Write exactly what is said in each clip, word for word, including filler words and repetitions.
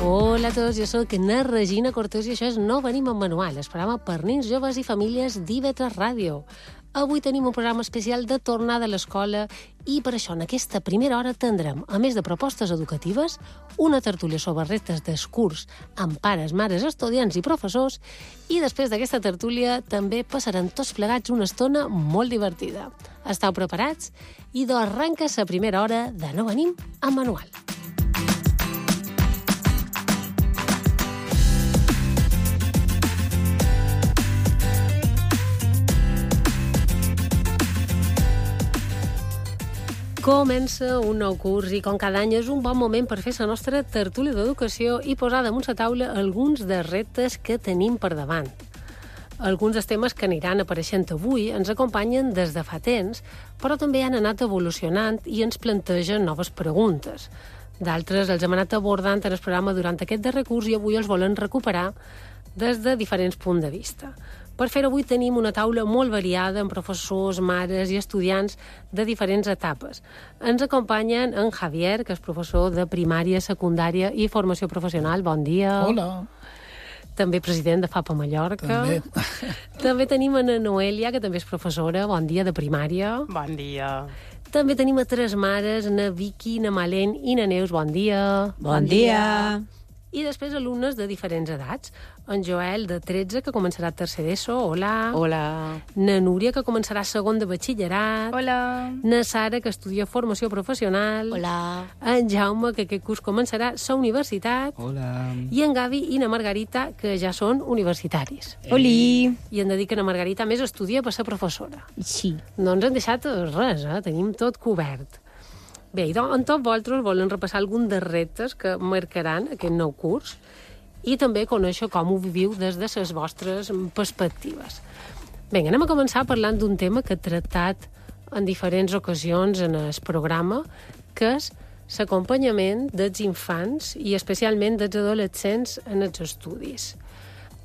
Hola a tots, jo soc na Regina Cortés i això és No Venim amb Manual, el programa per nens, joves i famílies d'I V tres Ràdio. Avui tenim un programa especial de tornada a l'escola i per això en aquesta primera hora tindrem, a més de propostes educatives, una tertúlia sobre reptes del curs amb pares, mares, estudiants i professors i després d'aquesta tertúlia també passarem tots plegats una estona molt divertida. Esteu preparats? I doncs arrenca la primera hora de No Venim amb Manual. Comença un nou curs i, com cada any, és un bon moment per fer la nostra tertúlia d'educació i posar damunt la taula alguns dels reptes que tenim per davant. Alguns dels temes que aniran apareixent avui ens acompanyen des de fa temps, però també han anat evolucionant i ens plantegen noves preguntes. D'altres els hem anat abordant en el programa durant aquest darrer curs i avui els volen recuperar des de diferents punts de vista. Per fer-ho avui tenim una taula molt variada amb professors, mares i estudiants de diferents etapes. Ens acompanyen en Javier, que és professor de primària, secundària i formació professional. Bon dia. Hola. També president de FAPA Mallorca. També. També tenim a Noelia, que també és professora. Bon dia, de primària. Bon dia. També tenim a tres mares, na Vicky, na Malén i na Neus. Bon dia. Bon dia. I després alumnes de diferents edats. En Joel, de tretze, que començarà tercer d'ESO. Hola. Hola. Na Núria, que començarà segon de batxillerat. Hola. Na Sara, que estudia formació professional. Hola. En Jaume, que aquest curs començarà sa universitat. Hola. I en Gavi i na Margarita, que ja són universitaris. Oli. I hem de dir que na Margarita més estudia per ser professora. Sí. No ens han deixat res, eh? Tenim tot cobert. Bé, i doncs, en tots vosaltres volen repassar algun dels reptes que marcaran aquest nou curs i també conèixer com ho viviu des de les vostres perspectives. Bé, anem a començar parlant d'un tema que he tractat en diferents ocasions en el programa, que és l'acompanyament dels infants i especialment dels adolescents en els estudis.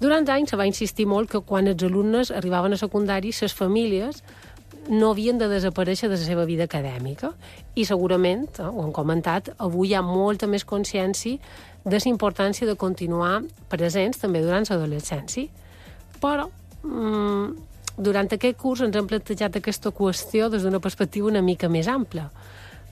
Durant anys se va insistir molt que quan els alumnes arribaven a secundari, les famílies no havien de desaparèixer de la seva vida acadèmica i segurament, eh, ho hem comentat, avui hi ha molta més consciència de la importància de continuar presents també durant l'adolescència. Però mmm, durant aquest curs ens hem plantejat aquesta qüestió des d'una perspectiva una mica més ampla,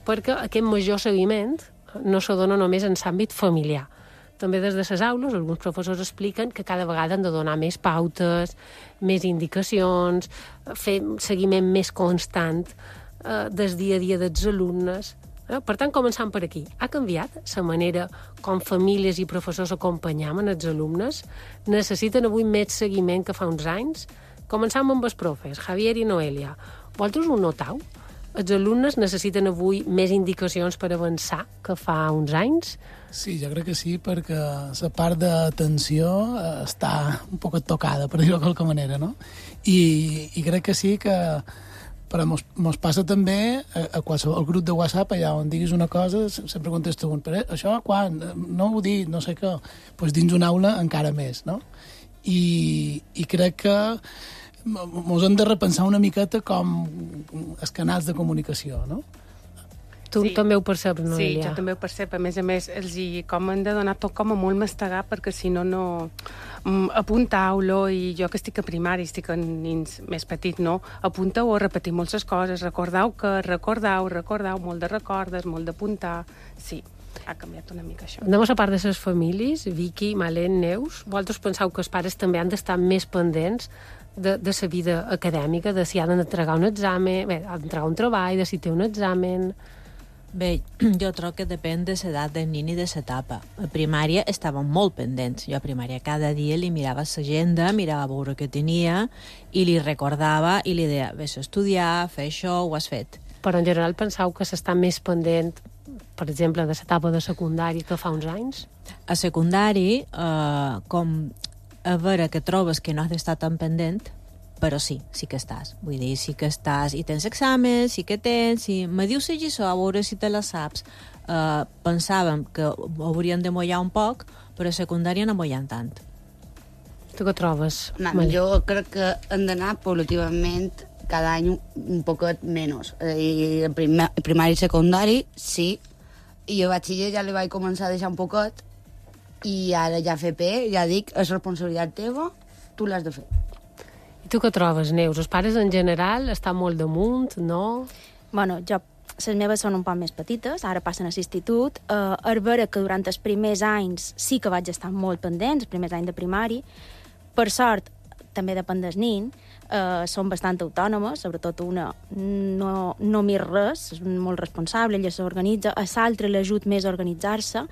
perquè aquest major seguiment no se dona només en l'àmbit familiar. També des de les aules, alguns professors expliquen que cada vegada han de donar més pautes, més indicacions, fer seguiment més constant eh, del dia a dia dels alumnes. Eh? Per tant, començant per aquí. Ha canviat la manera com famílies i professors acompanyaven els alumnes? Necessiten avui més seguiment que fa uns anys? Començam amb els profes, Javier i Noelia. Vosaltres ho notau? Els alumnes necessiten avui més indicacions per avançar que fa uns anys? Sí, jo crec que sí, perquè la part d'atenció eh, està un poc tocada, per dir-ho de qualque manera, no? I, i crec que sí que però mos, mos passa també a, a qualsevol grup de WhatsApp, allà on diguis una cosa, sempre contesta un, però això quan? No ho dic, no sé què. Pues dins una aula encara més, no? I, i crec que mos hem de repensar una miqueta com els canals de comunicació, no? Tu Sí. també ho perceps, Noelia? Sí, jo també ho percep. A més a més, els hi com han de donar tot com a molt mastegar, perquè si no, no... Mm, apuntau-lo, i jo que estic a primari, estic en nins més petits, no? Apuntau a repetir moltes coses, recordau que, recordau, recordau, molt de recordes, molt d'apuntar... Sí, ha canviat una mica això. Anem a la part de les famílies, Vicky, Malén, Neus. Vosaltres penseu que els pares també han d'estar més pendents de, de la vida acadèmica, de si han d'entregar un examen, bé, han d'entregar un treball, de si té un examen... Bé, jo trobo que depèn de l'edat del nin i de l'etapa. A primària estàvem molt pendents. Jo a primària cada dia li mirava l'agenda, mirava a veure què tenia i li recordava i li deia, vés a estudiar, fer això, ho has fet. Però en general penseu que s'està més pendent, per exemple, de l'etapa de secundari que fa uns anys? A secundari, eh, com a veure que trobes que no has d'estar tan pendent, però sí, sí que estàs. Vull dir, sí que estàs i tens exàmens, sí que tens, i me dius la lliçó, a veure si te la saps. Uh, pensàvem que hauríem de mullar un poc, però a secundària no mullant tant. Tu què trobes? No, Malén? jo crec que hem d'anar paulativament cada any un poquet menys. I el primer, primari i secundari, sí. I a batxiller ja li vaig començar a deixar un poquet, i ara ja F P, ja dic, és responsabilitat teva, tu l'has de fer. I tu què trobes, Neus? Els pares en general estan molt damunt, no? Bueno, jo, les meves són un poc més petites, ara passen a l'institut. Uh, és vera que durant els primers anys sí que vaig estar molt pendent, els primers anys de primari. Per sort, també depèn del nin, uh, són bastant autònomes, sobretot una no, no mira res, és molt responsable, ella s'organitza, a l'altra l'ajut més a organitzar-se,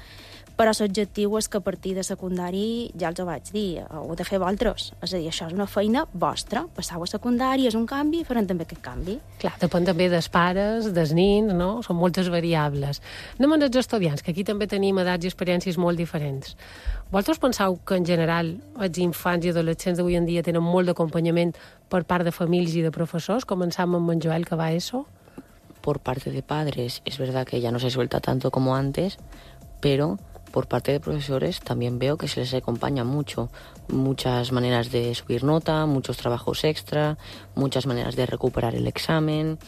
però l'objectiu és que a partir de secundari, ja els ho vaig dir, ho heu de fer vosaltres. És a dir, això és una feina vostra. Passau a secundari, és un canvi, farem també aquest canvi. Clar, depèn també dels pares, dels nins, no? Són moltes variables. Anem als estudiants, que aquí també tenim edats i experiències molt diferents. Vosaltres penseu que, en general, els infants i adolescents d'avui en dia tenen molt d'acompanyament per part de famílies i de professors? Començam amb en Joel, que va a eso. Por parte de padres, es verdad que ya no se suelta tanto como antes, pero por parte de profesores también veo que se les acompaña mucho. Muchas maneras de subir nota, muchos trabajos extra, muchas maneras de recuperar el examen.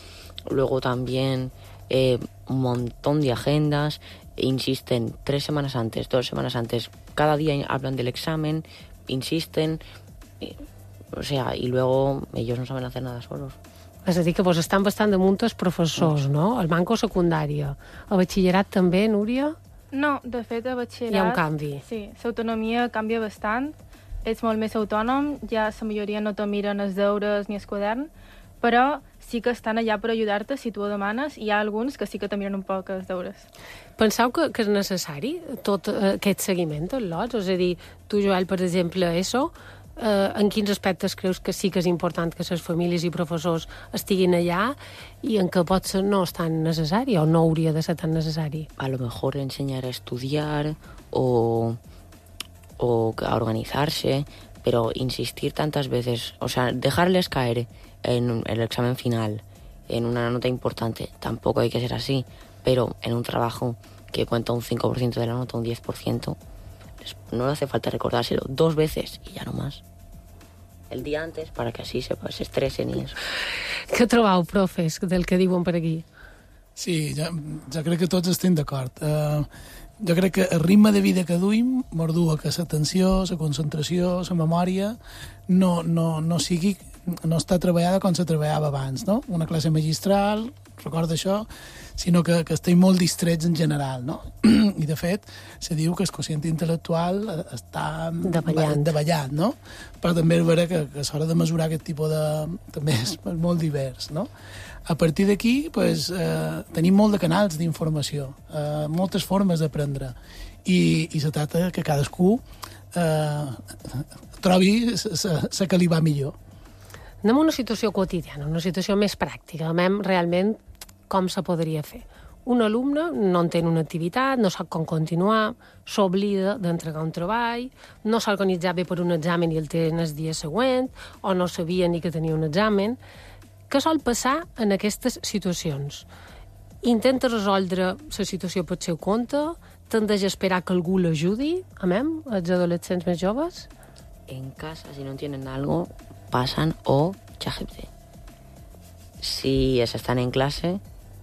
Luego también eh, un montón de agendas. Insisten tres semanas antes, dos semanas antes. Cada día hablan del examen, insisten. Eh, o sea, y luego ellos no saben hacer nada solos. És a dir, que vos estan bastant damunt els professors, no? El manco secundària. El batxillerat també, Núria? No, de fet, a batxillerat... Hi ha un canvi. Sí, l'autonomia canvia bastant. Ets molt més autònom, ja la majoria no te miren els deures ni el quadern, però sí que estan allà per ajudar-te si tu ho demanes, i hi ha alguns que sí que te miren un poc els deures. Penseu que, que és necessari tot eh, aquest seguiment, tot l'ots? És a dir, tu, Joel, per exemple, eso, eh, en quins aspectes creus que sí que és important que les famílies i professors estiguin allà i en què potser no és tan necessari o no hauria de ser tan necessari? A lo mejor enseñar a estudiar o, o a organizarse, pero insistir tantas veces, o sea, dejarles caer en el examen final, en una nota importante, tampoco hay que ser así, pero en un trabajo que cuenta un cinco por ciento de la nota, un diez por ciento, no le hace falta recordárselo dos veces y ya no más. El día antes, para que así se, se estresen i eso. Què trobau, profes, del que diuen per aquí? Sí, jo, jo crec que tots estem d'acord. Uh, jo crec que el ritme de vida que duim mordua que l'atenció, la concentració, la memòria no, no, no sigui no està treballada com se treballava abans, no? Una classe magistral, recorda això, sinó que, que estem molt distrets en general, no? I, de fet, se diu que el quocient intel·lectual està davallant, davallant, no? Però també és vera que, que a l'hora de mesurar aquest tipus de... també és molt divers, no? A partir d'aquí, pues, eh, tenim molt de canals d'informació, eh, moltes formes d'aprendre, i, i se tracta que cadascú eh, trobi la que li va millor. Anem a una situació quotidiana, una situació més pràctica. Anem realment com se podria fer. Un alumne no entén una activitat, no sap com continuar, s'oblida d'entregar un treball, no s'ha organitzat bé per un examen i el té el dia següent, o no sabia ni que tenia un examen. Què sol passar en aquestes situacions? Intenta resoldre la situació per seu compte, tendeix a esperar que algú l'ajudi, amem, els adolescents més joves? En casa, si no entienden algo, pasan o ChatGPT. Si están en clase,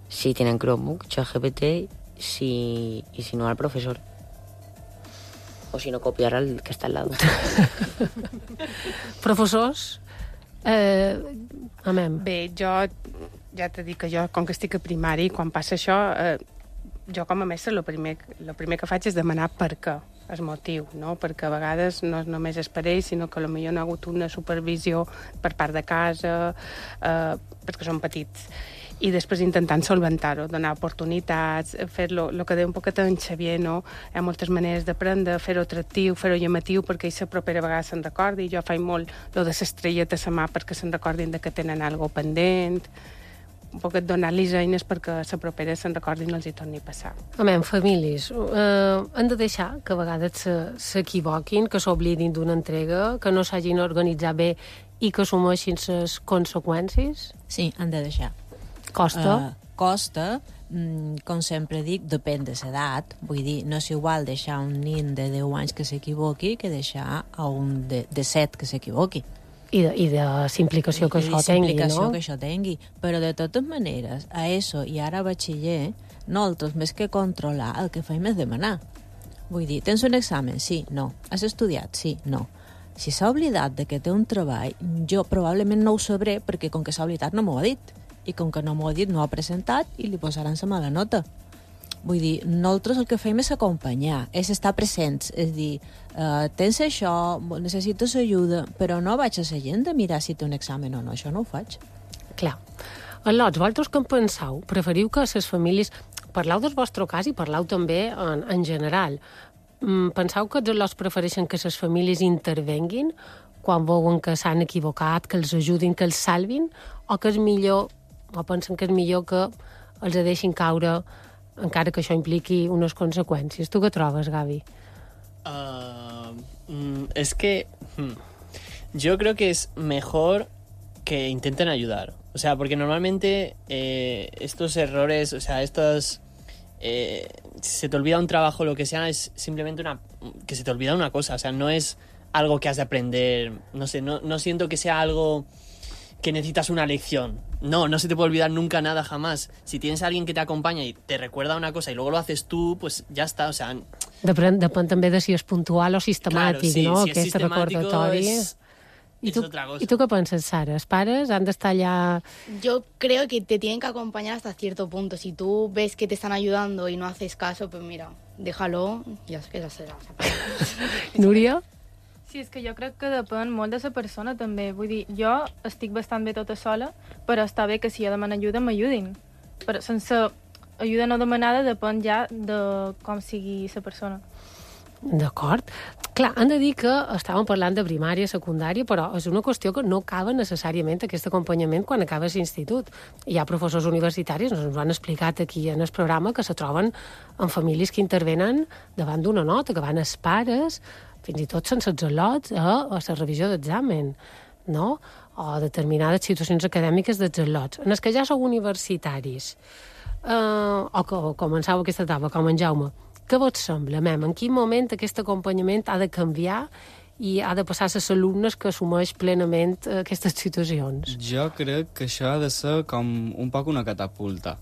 si tienen Chromebook, ChatGPT, si, y si no al profesor. O si no, copiar al que està al lado. Professors, eh, amem. Bé, jo ja t'he dit que jo, com que estic a primari, quan passa això, eh, jo com a mestre el primer, el primer que faig és demanar per què, el motiu, no? Perquè a vegades no només és per ells, sinó que potser no ha hagut una supervisió per part de casa, eh, perquè són petits. I després intentant solventar-ho, donar oportunitats, fer-lo, el que deia un poquet en Xavier, no? Hi ha moltes maneres d'aprendre, fer-ho atractiu, fer-ho llamatiu, perquè ells la propera vegada se'n recordi. Jo faig molt lo de l'estrelleta a la mà perquè se'n recordin de que tenen alguna cosa pendent, un poquet donar-los eines perquè la propera se'n recordin i els hi torni a passar. Amem, famílies, eh, han de deixar que a vegades s'equivoquin, que s'oblidin d'una entrega, que no s'hagin organitzat bé i que assumeixin les conseqüències? Sí, han de deixar. Costa? Uh, costa, mm, com sempre dic, depèn de l'edat. Vull dir, no és igual deixar un nin de deu anys que s'equivoqui que deixar a un de, de set que s'equivoqui. I de, i de l'implicació que I això de tingui, implicació no? que això tingui. Però de totes maneres, a ESO i ara a batxiller, nosaltres, més que controlar, el que fem és demanar. Vull dir, tens un examen? Sí, no. Has estudiat? Sí, no. Si s'ha oblidat de que té un treball, jo probablement no ho sabré perquè com que s'ha oblidat no m'ho ha dit. I com que no m'ho ha dit, no ho ha presentat i li posaran la mala nota. Vull dir, nosaltres el que fem és acompanyar, és estar presents, és dir, uh, tens això, necessites ajuda, però no vaig a la gent de mirar si té un examen o no, això no ho faig. Clar. Al·lots, vosaltres què en penseu? Preferiu que les famílies... Parlau del vostre cas i parlau també en, en general. Penseu que els al·lots prefereixen que les famílies intervenguin quan veuen que s'han equivocat, que els ajudin, que els salvin, o que és millor, o pensen que és millor que els deixin caure encara que això impliqui unes conseqüències. Tu què trobes, Gavi? Uh, mm, es que hmm, yo creo que es mejor que intenten ayudar. O sea, porque normalmente eh, estos errores, o sea, estos... Eh, si se te olvida un trabajo, lo que sea, es simplemente una... que se te olvida una cosa. O sea, no es algo que has de aprender. No sé, no, no siento que sea algo que necesitas una lección. No, no se te puede olvidar nunca nada, jamás. Si tienes a alguien que te acompaña y te recuerda una cosa y luego lo haces tú, pues ya está, o sea... Depèn, depèn també de si és puntual o sistemàtic, claro, sí, no? Si és Aquest recordatori. És, I és tu, otra cosa. ¿Y tú qué piensas, Sara? ¿Els pares han d'estar allà...? Yo creo que te tienen que acompañar hasta cierto punto. Si tú ves que te están ayudando y no haces caso, pues mira, déjalo i ja, que ja serà. Núria? Sí, és que jo crec que depèn molt de la persona, també. Vull dir, jo estic bastant bé tota sola, però està bé que si jo demano ajuda, m'ajudin. Però sense ajuda no demanada depèn ja de com sigui la persona. D'acord. Clar, han de dir que estàvem parlant de primària, secundària, però és una qüestió que no acaba necessàriament aquest acompanyament quan acabes l'institut. Hi ha professors universitaris, ens ho han explicat aquí en el programa, que se troben en famílies que intervenen davant d'una nota, que van els pares, fins i tot sense els al·lots, a, a la revisió d'examen, no? O determinades situacions acadèmiques dels al·lots. En els que ja sou universitaris, eh, o que començau aquesta etapa, com en Jaume, què vos sembla, mem? En quin moment aquest acompanyament ha de canviar i ha de passar a les alumnes que assumeix plenament aquestes situacions? Jo crec que això ha de ser com un poc una catapulta.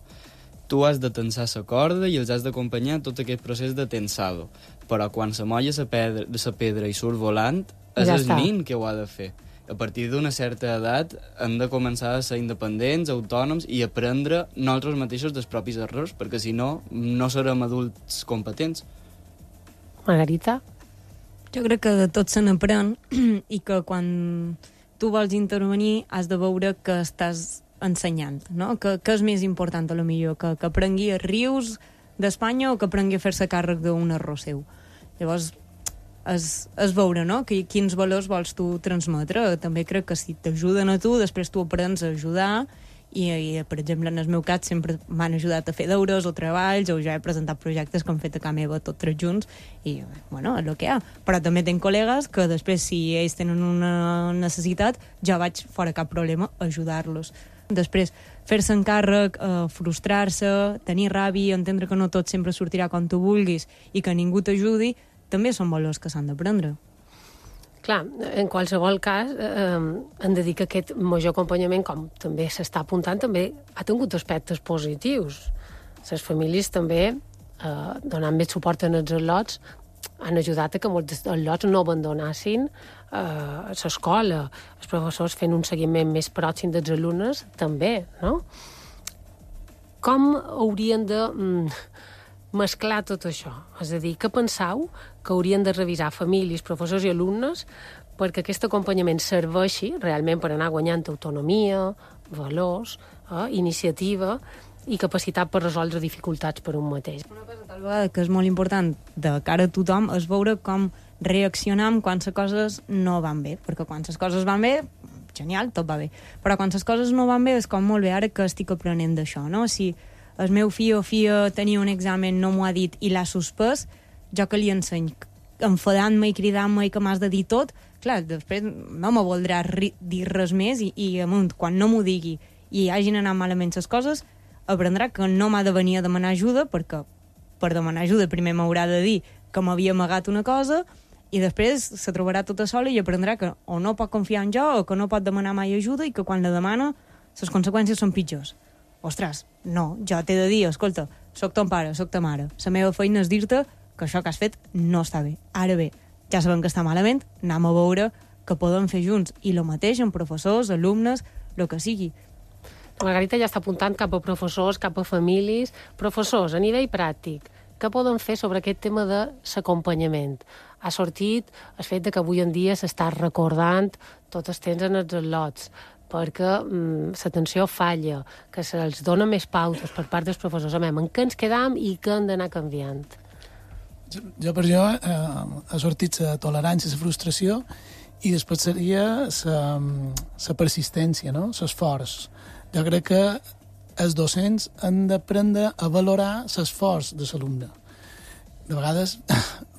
Tu has de tensar la corda i els has d'acompanyar tot aquest procés de tensado. Però quan se molla la pedra, la pedra i surt volant, és ja el està. Nin que ho ha de fer. A partir d'una certa edat hem de començar a ser independents, autònoms i aprendre nosaltres mateixos dels propis errors, perquè si no, no serem adults competents. Margarita? Jo crec que de tot se n'aprèn i que quan tu vols intervenir has de veure que estàs ensenyant, no? Que, que és més important, a lo millor, que, que aprengui a rius d'Espanya o que aprengui a fer-se càrrec d'un error seu. Llavors, és, és veure, no?, que, quins valors vols tu transmetre. També crec que si t'ajuden a tu, després tu aprens a ajudar i, i per exemple, en el meu cas sempre m'han ajudat a fer deures o treballs o ja he presentat projectes que han fet a casa meva tots tres junts i, bueno, és el que hi ha. Però també tinc col·legues que després, si ells tenen una necessitat, ja vaig fora cap problema a ajudar-los. Després, fer-se encàrrec, eh, frustrar-se, tenir ràbia, entendre que no tot sempre sortirà com tu vulguis i que ningú t'ajudi, també són valors que s'han d'aprendre. Clar, en qualsevol cas, eh, hem de dir que aquest major acompanyament, com també s'està apuntant, també ha tingut aspectes positius. Les famílies també, eh, donant més suport en els al·lots, han ajudat a que molts al·lots no abandonassin a l'escola. Els professors fent un seguiment més pròxim dels alumnes, també, no? Com haurien de mm, mesclar tot això? És a dir, què penseu que haurien de revisar famílies, professors i alumnes perquè aquest acompanyament serveixi realment per anar guanyant autonomia, valors, eh, iniciativa i capacitat per resoldre dificultats per un mateix? Una cosa tal vegada que és molt important de cara a tothom és veure com reaccionam quan les coses no van bé, perquè quan les coses van bé, genial, tot va bé, però quan les coses no van bé és com molt bé ara que estic aprenent d'això, no? Si el meu fill o filla tenia un examen, no m'ho ha dit i l'ha suspès, jo que li enseny enfadant-me i cridant-me i que m'has de dir tot, clar, després no me voldrà ri- dir res més i, i amunt, quan no m'ho digui i hagin anat malament les coses, aprendrà que no m'ha de venir a demanar ajuda perquè per demanar ajuda primer m'haurà de dir que m'havia amagat una cosa i després se trobarà tota sola i aprendrà que o no pot confiar en jo o que no pot demanar mai ajuda i que quan la demana les conseqüències són pitjors. Ostres, no, jo t'he de dir, escolta, soc ton pare, soc ta mare. La meva feina és dir-te que això que has fet no està bé. Ara bé, ja sabem que està malament, anem a veure que podem fer junts. I el mateix amb professors, alumnes, el que sigui. Margarita ja està apuntant cap a professors, cap a famílies. Professors, a nivell pràctic, què poden fer sobre aquest tema de l'acompanyament? Ha sortit el fet de que avui en dia s'està recordant tot el temps en els al·lots, perquè mm, l'atenció falla, que se'ls dona més pautes per part dels professors. A en què ens quedam i què han d'anar canviant? Jo, jo per jo eh, ha sortit la tolerància, la frustració, i després seria la persistència, no? L'esforç. Jo crec que els docents han d'aprendre a valorar l'esforç de l'alumne. De vegades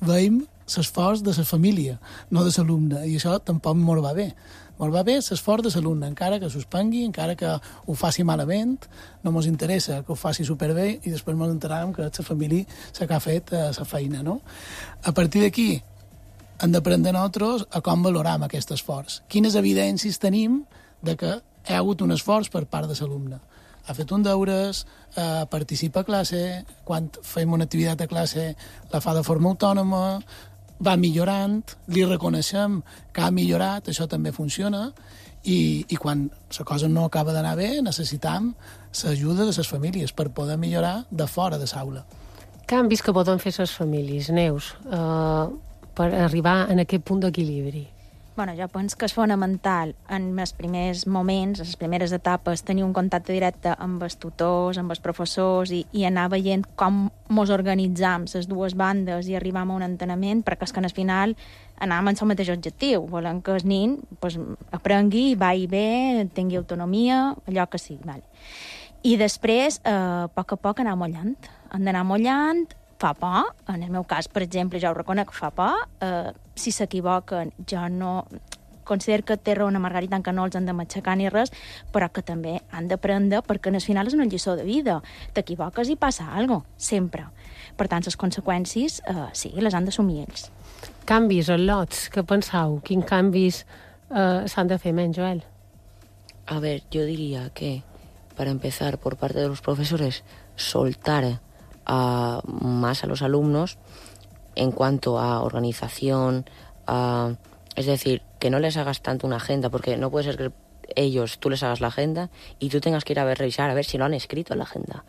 veiem l'esforç de la família, no de l'alumne, i això tampoc mos va bé. Mos va bé l'esforç de l'alumne, encara que suspengui, encara que ho faci malament, no mos interessa que ho faci superbé i després mos enterarem que és la família la que ha fet la feina, no? A partir d'aquí hem d'aprendre nosaltres a com valoram aquest esforç. Quines evidències tenim de que hi ha hagut un esforç per part de l'alumne. Ha fet un deures, eh, participa a classe, quan fem una activitat a classe la fa de forma autònoma, va millorant, li reconeixem que ha millorat, això també funciona, i, i quan la cosa no acaba d'anar bé, necessitam l'ajuda de les famílies per poder millorar de fora de l'aula. Canvis que poden fer les famílies, Neus, eh, per arribar en aquest punt d'equilibri. Bueno, jo penso que és fonamental en els primers moments, en les primeres etapes, tenir un contacte directe amb els tutors, amb els professors i, i anar veient com mos organitzam les dues bandes i arribam a un enteniment, perquè és que al final anam amb el mateix objectiu. Volem que el nin pues, aprengui, vagi bé, tingui autonomia, allò que sigui. Vale. I després, eh, a poc a poc, anar mollant. Hem d'anar mollant, fa por, en el meu cas, per exemple, jo ho reconec, fa por, eh, si s'equivoquen, jo no considero que té raó a Margarita en que no els han de matxacar ni res, però que també han d'aprendre, perquè al final és una lliçó de vida. T'equivoques i passa alguna cosa, sempre. Per tant, les conseqüències, eh, sí, les han d'assumir ells. Canvis, al·lots, què penseu? Quins canvis eh, s'han de fer, menys, Joel? A ver, yo diría que, para empezar, por parte de los profesores, soltar a, más a los alumnos en cuanto a organización, a, es decir, que no les hagas tanto una agenda, porque no puede ser que ellos, tú les hagas la agenda y tú tengas que ir a ver, revisar, a ver si lo han escrito en la agenda.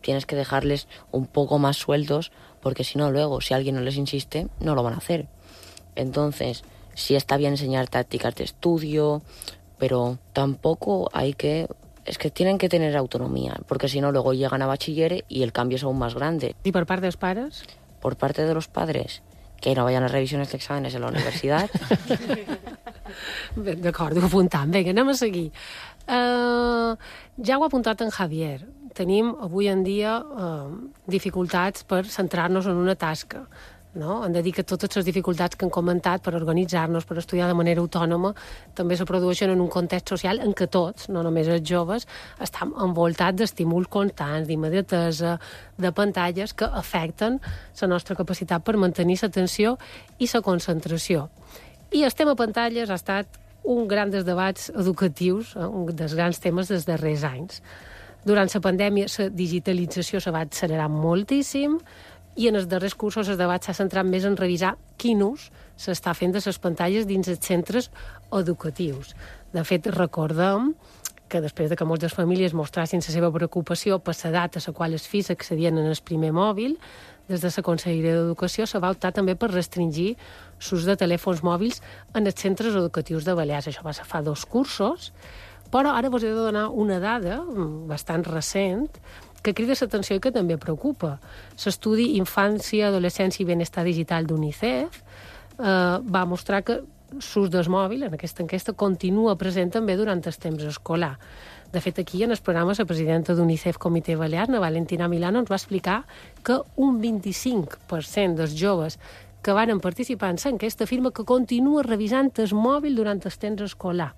Tienes que dejarles un poco más sueltos, porque si no, luego, si alguien no les insiste, no lo van a hacer. Entonces, sí está bien enseñar tácticas de estudio, pero tampoco hay que... Es que tienen que tener autonomía, porque si no, luego llegan a bachiller y el cambio es aún más grande. ¿Y por parte de los padres? Por parte de los padres, que no vayan a revisiones de exámenes en la universidad. D'acord, ho apuntam. Vinga, anem a seguir. Uh, ja ho ha apuntat en Javier. Tenim avui en dia uh, dificultats per centrar-nos en una tasca. No? Hem de dir que totes les dificultats que han comentat per organitzar-nos, per estudiar de manera autònoma, també se produeixen en un context social en què tots, no només els joves, estan envoltats d'estímuls constants, d'immediatesa, de pantalles que afecten la nostra capacitat per mantenir l'atenció i la concentració. I el tema pantalles ha estat un gran dels debats educatius, eh, un dels grans temes dels darrers anys. Durant la pandèmia, la digitalització se va accelerar moltíssim, i en els darrers cursos el debat s'ha centrat més en revisar quin ús s'està fent de les pantalles dins els centres educatius. De fet, recordem que després de que moltes famílies mostrassin la seva preocupació per l'edat a la qual els fills accedien en el primer mòbil, des de la Conselleria d'Educació se va optar també per restringir l'ús de telèfons mòbils en els centres educatius de Balears. Això va ser fa dos cursos, però ara vos he de donar una dada bastant recent que crida l'atenció i que també preocupa. L'estudi Infància, Adolescència i Benestar Digital d'UNICEF eh, va mostrar que l'ús del mòbil en aquesta enquesta continua present també durant el temps escolar. De fet, aquí, en el programa, la presidenta d'UNICEF Comitè Balear, na Valentina Milano, ens va explicar que un vint-i-cinc per cent dels joves que van participar en l'enquesta afirma que continua revisant el mòbil durant el temps escolar.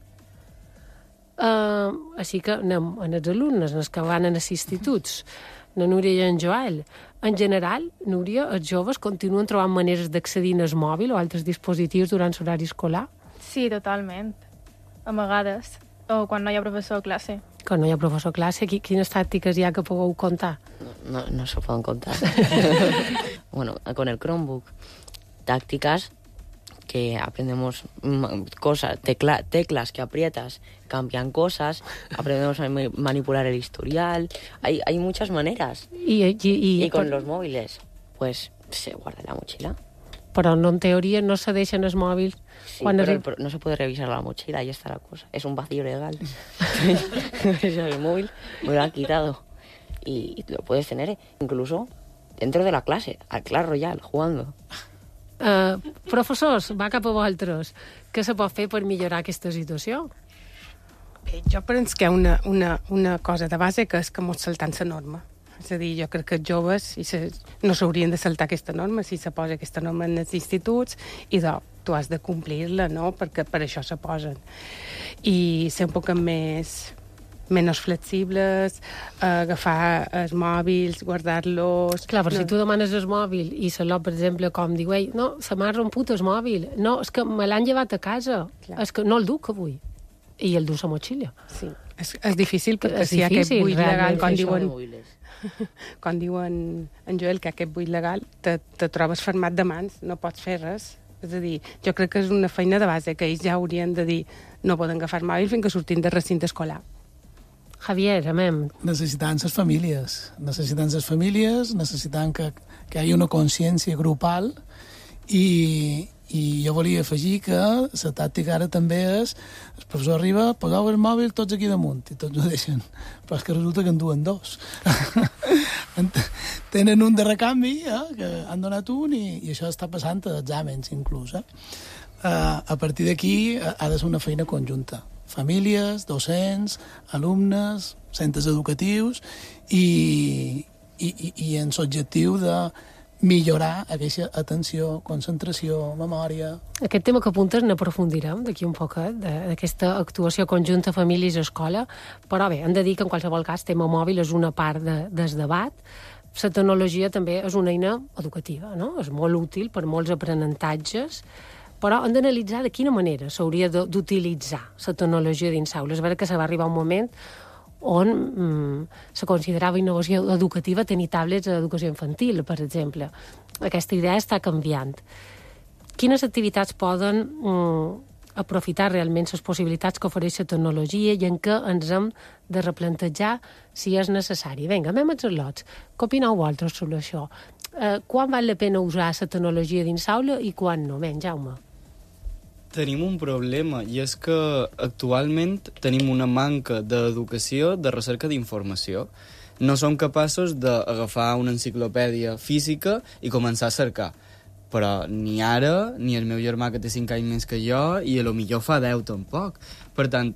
Uh, així que anem en els alumnes, en els que van a les instituts, la Núria i en Joel. En general, Núria, els joves continuen trobant maneres d'accedir al mòbil o altres dispositius durant l'horari escolar? Sí, totalment. A vegades. O quan no hi ha professor a classe. Quan no hi ha professor a classe, quines tàctiques hi ha que pugueu contar? No, no, no se poden contar. bueno, con el Chromebook, tácticas que aprendemos cosas, tecla, teclas que aprietas, cambian cosas, aprendemos a manipular el historial, hay, hay muchas maneras. I, i, i, y con per... los móviles, pues se guarda en la mochila. Però no, en teoria no se deixen els mòbils. Sí, quan pero, es... pero no se puede revisar la mochila, ahí está la cosa. Es un vacío legal. El móvil me lo han quitado. Y lo puedes tener incluso dentro de la clase, al Clash Royale, jugando. Uh, professors, va cap a vosaltres. Què se pot fer per millorar aquesta situació? Bé, jo penso que hi ha una, una, una cosa de base que és que mos saltant la norma. És a dir, jo crec que els joves i se, no s'haurien de saltar aquesta norma si se posa aquesta norma en els instituts i de, tu has de complir-la, no? Perquè per això se posen. I ser un poc més... menys flexibles, eh, agafar els mòbils, guardar-los... Clar, però no. si tu demanes el mòbil i se l'ho, per exemple, com diu, ei, no, se m'ha romput el mòbil, no, és que me l'han llevat a casa, Clar. és que no el duc avui, i el du a motxilla. Sí, és, és difícil perquè és si hi ha aquest difícil, buit legal, quan diuen, quan diuen en Joel que aquest buit legal, te, te trobes fermat de mans, no pots fer res. És a dir, jo crec que és una feina de base que ells ja haurien de dir no poden agafar el mòbil fins que surtin de recinte escolar. Javier, amem. Necessitant les famílies, necessitant les famílies, necessitant que, que hi hagi una consciència grupal i, i jo volia afegir que la tàctica ara també és el professor arriba, poseu el mòbil tots aquí damunt i tots ho deixen, però és que resulta que en duen dos. Tenen un de recanvi, eh, que han donat un i, i això està passant a exàmens inclús. Eh? Uh, a partir d'aquí ha de ser una feina conjunta. Famílies, docents, alumnes, centres educatius i, i, i, i en l'objectiu de millorar aquesta atenció, concentració, memòria... Aquest tema que apuntes n'aprofundirem d'aquí un poquet, d'aquesta actuació conjunta famílies-escola, però bé, hem de dir que en qualsevol cas tema mòbil és una part de, del debat. La tecnologia també és una eina educativa, no? És molt útil per molts aprenentatges, però hem d'analitzar de quina manera s'hauria d'utilitzar la tecnologia dins aula. És vera que se va arribar un moment on mm, se considerava innovació educativa tenir tablets a educació infantil, per exemple. Aquesta idea està canviant. Quines activitats poden mm, aprofitar realment les possibilitats que ofereix la tecnologia i en què ens hem de replantejar si és necessari? Vinga, anem als lots. Què opineu vosaltres sobre això? Eh, quan val la pena usar la tecnologia dins aula i quan no? Ben, Jaume. Tenim un problema, i és que actualment tenim una manca d'educació, de recerca d'informació. No som capaços d'agafar una enciclopèdia física i començar a cercar. Però ni ara, ni el meu germà, que té cinc anys més que jo, i a lo millor fa deu tampoc. Per tant,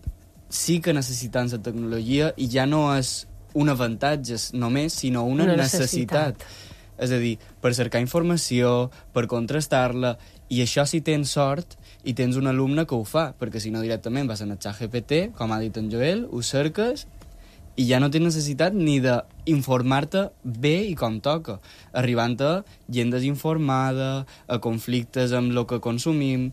sí que necessitem la tecnologia, i ja no és un avantatge només, sinó una, una necessitat. necessitat. És a dir, per cercar informació, per contrastar-la, i això si tens sort i tens un alumne que ho fa, perquè si no directament vas a el xat G P T, com ha dit en Joel, ho cerques i ja no tens necessitat ni d'informar-te bé i com toca, arribant a gent desinformada, a conflictes amb el que consumim.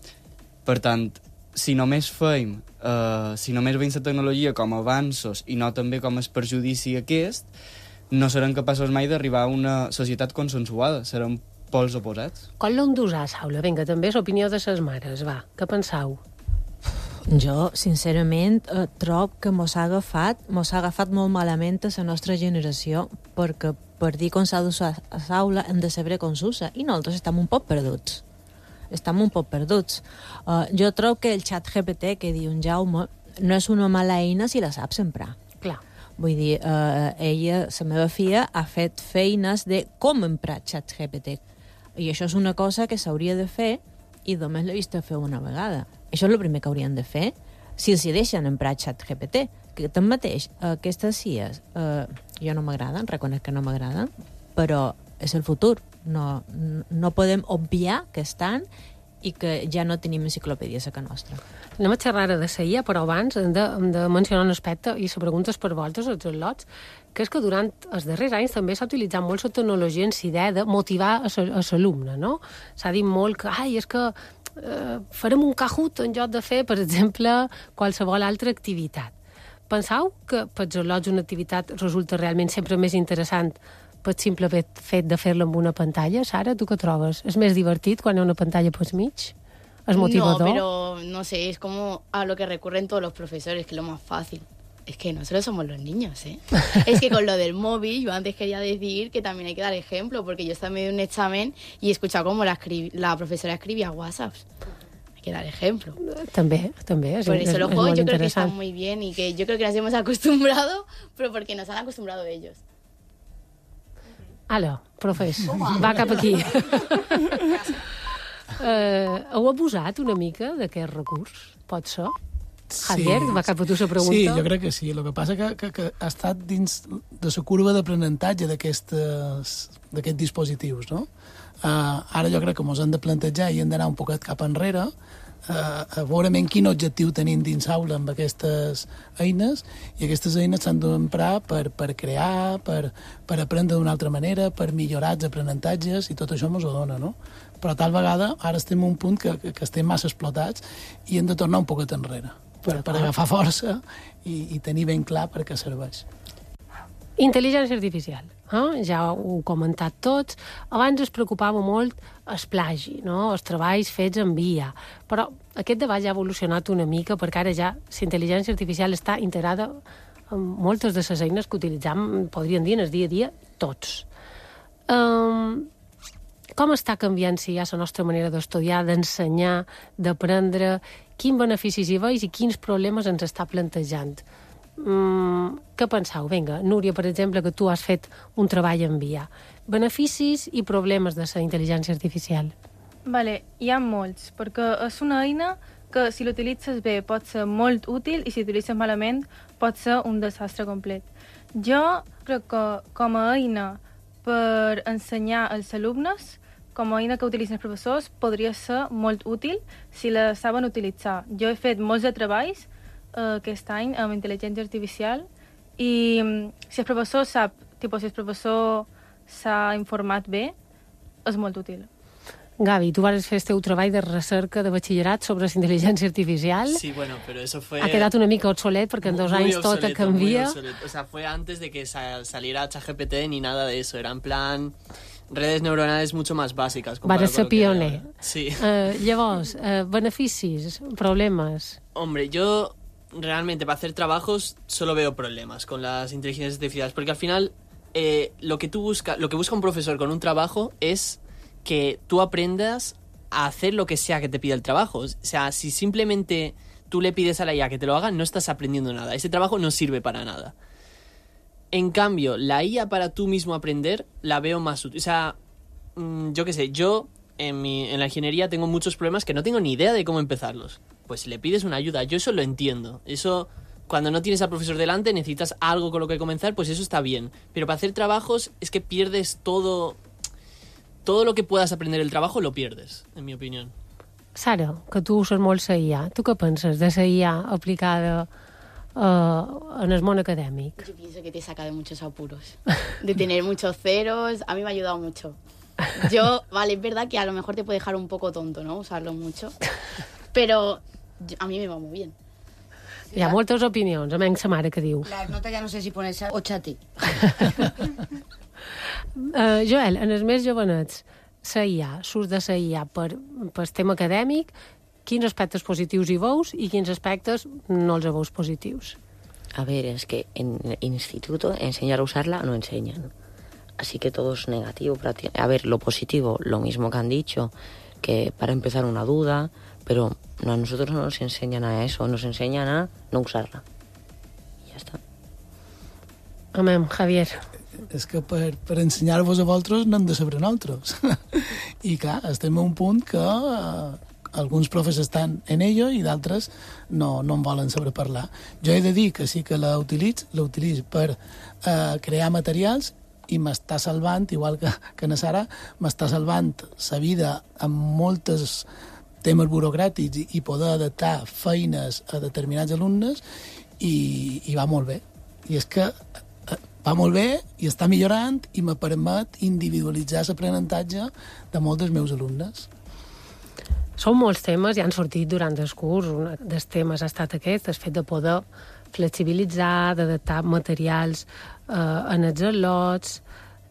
Per tant, si només feim, eh, si només veiem la tecnologia com a avanços i no també com el perjudici aquest, no serem capaços mai d'arribar a una societat consensuada, serem pols oposats. Com l'hem d'usar, Saula? Vinga, també és l'opinió de les mares, va. Què penseu? Jo, sincerament, eh, trobo que mos ha agafat, mos ha agafat molt malament a la nostra generació, perquè per dir com s'ha d'usar a l'aula hem de saber com s'usa, i nosaltres estem un poc perduts. Estem un poc perduts. Uh, jo trobo que el xat G P T que diu en Jaume no és una mala eina si la saps emprar. Clar. Vull dir, eh, ella, la meva filla, ha fet feines de com emprar xat G P T. I això és una cosa que s'hauria de fer i només l'he vist fer una vegada. Això és el primer que haurien de fer si els hi deixen emprar xat G P T. Que tanmateix, aquestes C I Es, eh, jo no m'agraden, reconec que no m'agraden, però és el futur. No, no podem obviar que estan i que ja no tenim enciclopèdies a casa nostra. Anem a xerrar de la I A, però abans hem de, hem de mencionar un aspecte, i la pregunta és per vosaltres, els lots, que és que durant els darrers anys també s'ha utilitzat molt la tecnologia en la idea de motivar a l'alumne, no? S'ha dit molt que, ai, és que eh, farem un Kahoot en lloc de fer, per exemple, qualsevol altra activitat. Penseu que per els lots una activitat resulta realment sempre més interessant pel simple fet de fer-lo amb una pantalla. Sara, tu què trobes? És més divertit quan hi ha una pantalla pel mig? ¿Es motivador? No, pero no sé, es como a lo que recurren todos los profesores, que es lo más fácil. Es que nosotros somos los niños, ¿eh? Es que con lo del móvil, yo antes quería decir que también hay que dar ejemplo, porque yo estaba en medio de un examen y he escuchado cómo la, la profesora escribía WhatsApps. Hay que dar ejemplo. También, también. Por eso los juegos yo creo que están muy bien y que yo creo que nos hemos acostumbrado, pero porque nos han acostumbrado ellos. Ala, profes, va cap aquí. uh, heu abusat una mica d'aquest recurs? Pot ser? Javier, sí, va cap a tu la pregunta. Sí, jo crec que sí. El que passa que, que, que ha estat dins de la curva d'aprenentatge d'aquests dispositius, no? Uh, ara jo crec que ens hem de plantejar i hem d'anar un poquet cap enrere uh, a veure quin objectiu tenim dins aula amb aquestes eines, i aquestes eines s'han d'emprar per, per crear, per, per aprendre d'una altra manera, per millorar els aprenentatges, i tot això ens ho dona, no? Però tal vegada ara estem en un punt que, que, que estem massa explotats i hem de tornar un poquet enrere per, per agafar força i, i tenir ben clar per què serveix. Intel·ligència artificial. Eh? Ja ho heu comentat tots. Abans es preocupava molt el plagi, no? Els treballs fets en V I A. Però aquest debat ja ha evolucionat una mica perquè ara ja la intel·ligència artificial està integrada en moltes de les eines que utilitzam, podríem dir, en el dia a dia, tots. Um, com està canviant, si hi ha la nostra manera d'estudiar, d'ensenyar, d'aprendre? Quins beneficis hi veus i quins problemes ens està plantejant? Mm, què penseu? Vinga, Núria, per exemple, que tu has fet un treball en V I A. Beneficis i problemes de la intel·ligència artificial. Vale, hi ha molts, perquè és una eina que si l'utilitzes bé pot ser molt útil i si l'utilitzes malament pot ser un desastre complet. Jo crec que com a eina per ensenyar als alumnes, com a eina que utilitzen els professors, podria ser molt útil si la saben utilitzar. Jo he fet molts de treballs uh, aquest any amb intel·ligència artificial i um, si el professor sap, tipus, si el professor s'ha informat bé, és molt útil. Gavi, tu vas fer el teu treball de recerca de batxillerat sobre la intel·ligència artificial. Sí, bueno, pero eso fue... Ha quedat una mica obsolet perquè en dos muy anys tot canvia. O sea, fue antes de que saliera ChatGPT ni nada de eso. Era en plan redes neuronales mucho más básicas. Vas ser pioner. Sí. Uh, llavors, uh, beneficis, problemes... Hombre, yo realmente para hacer trabajos solo veo problemas con las inteligencias artificiales, porque al final eh, lo que tú busca, lo que busca un profesor con un trabajo es que tú aprendas a hacer lo que sea que te pida el trabajo. O sea, si simplemente tú le pides a la I A que te lo haga, no estás aprendiendo nada. Ese trabajo no sirve para nada. En cambio, la I A para tú mismo aprender la veo más útil. O sea, mmm, yo qué sé, yo en, mi, en la ingeniería tengo muchos problemas que no tengo ni idea de cómo empezarlos. Pues si le pides una ayuda, yo eso lo entiendo. Eso, cuando no tienes al profesor delante, necesitas algo con lo que comenzar, pues eso está bien. Pero para hacer trabajos es que pierdes todo... Todo lo que puedas aprender el trabajo lo pierdes, en mi opinión. Sara, que tu uses molt la I A, tu què penses de la I A aplicada uh, en el món acadèmic? Yo pienso que te saca de muchos apuros, de tener muchos ceros. A mí me ha ayudado mucho. Yo, vale, es verdad que a lo mejor te puede dejar un poco tonto, ¿no? Usarlo mucho, pero yo, a mí me va muy bien. Hi ha moltes opinions, a menys sa mare que diu. La nota ja no sé si ponerse o xati. Uh, Joel, en els més jovenets, la I A, l'ús de la I A per, per tema acadèmic, quins aspectes positius hi veus i quins aspectes no els veus positius? A ver, es que en el instituto enseñar a usarla no enseñan. Así que todo es negativo. A ver, lo positivo, lo mismo que han dicho, que para empezar una duda, pero no, a nosotros no nos enseñan a eso, nos enseñan a no usarla. Y ya está. Amén, Javier. És que per, per ensenyar-vos a vosaltres no hem de saber nosaltres. I clar, estem a un punt que eh, alguns profes estan en ello i d'altres no, no en volen saber parlar. Jo he de dir que sí que la utilitzo, la utilitzo per eh, crear materials i m'està salvant, igual que, que na Sara, m'està salvant la vida amb moltes temes burocràtics i, i poder adaptar feines a determinats alumnes i, i va molt bé. I és que va molt bé i està millorant i me permet individualitzar l'aprenentatge de molts dels meus alumnes. Són molts temes i han sortit durant el curs. Un dels temes ha estat aquest, el fet de poder flexibilitzar, d'adaptar materials eh, en els al·lots.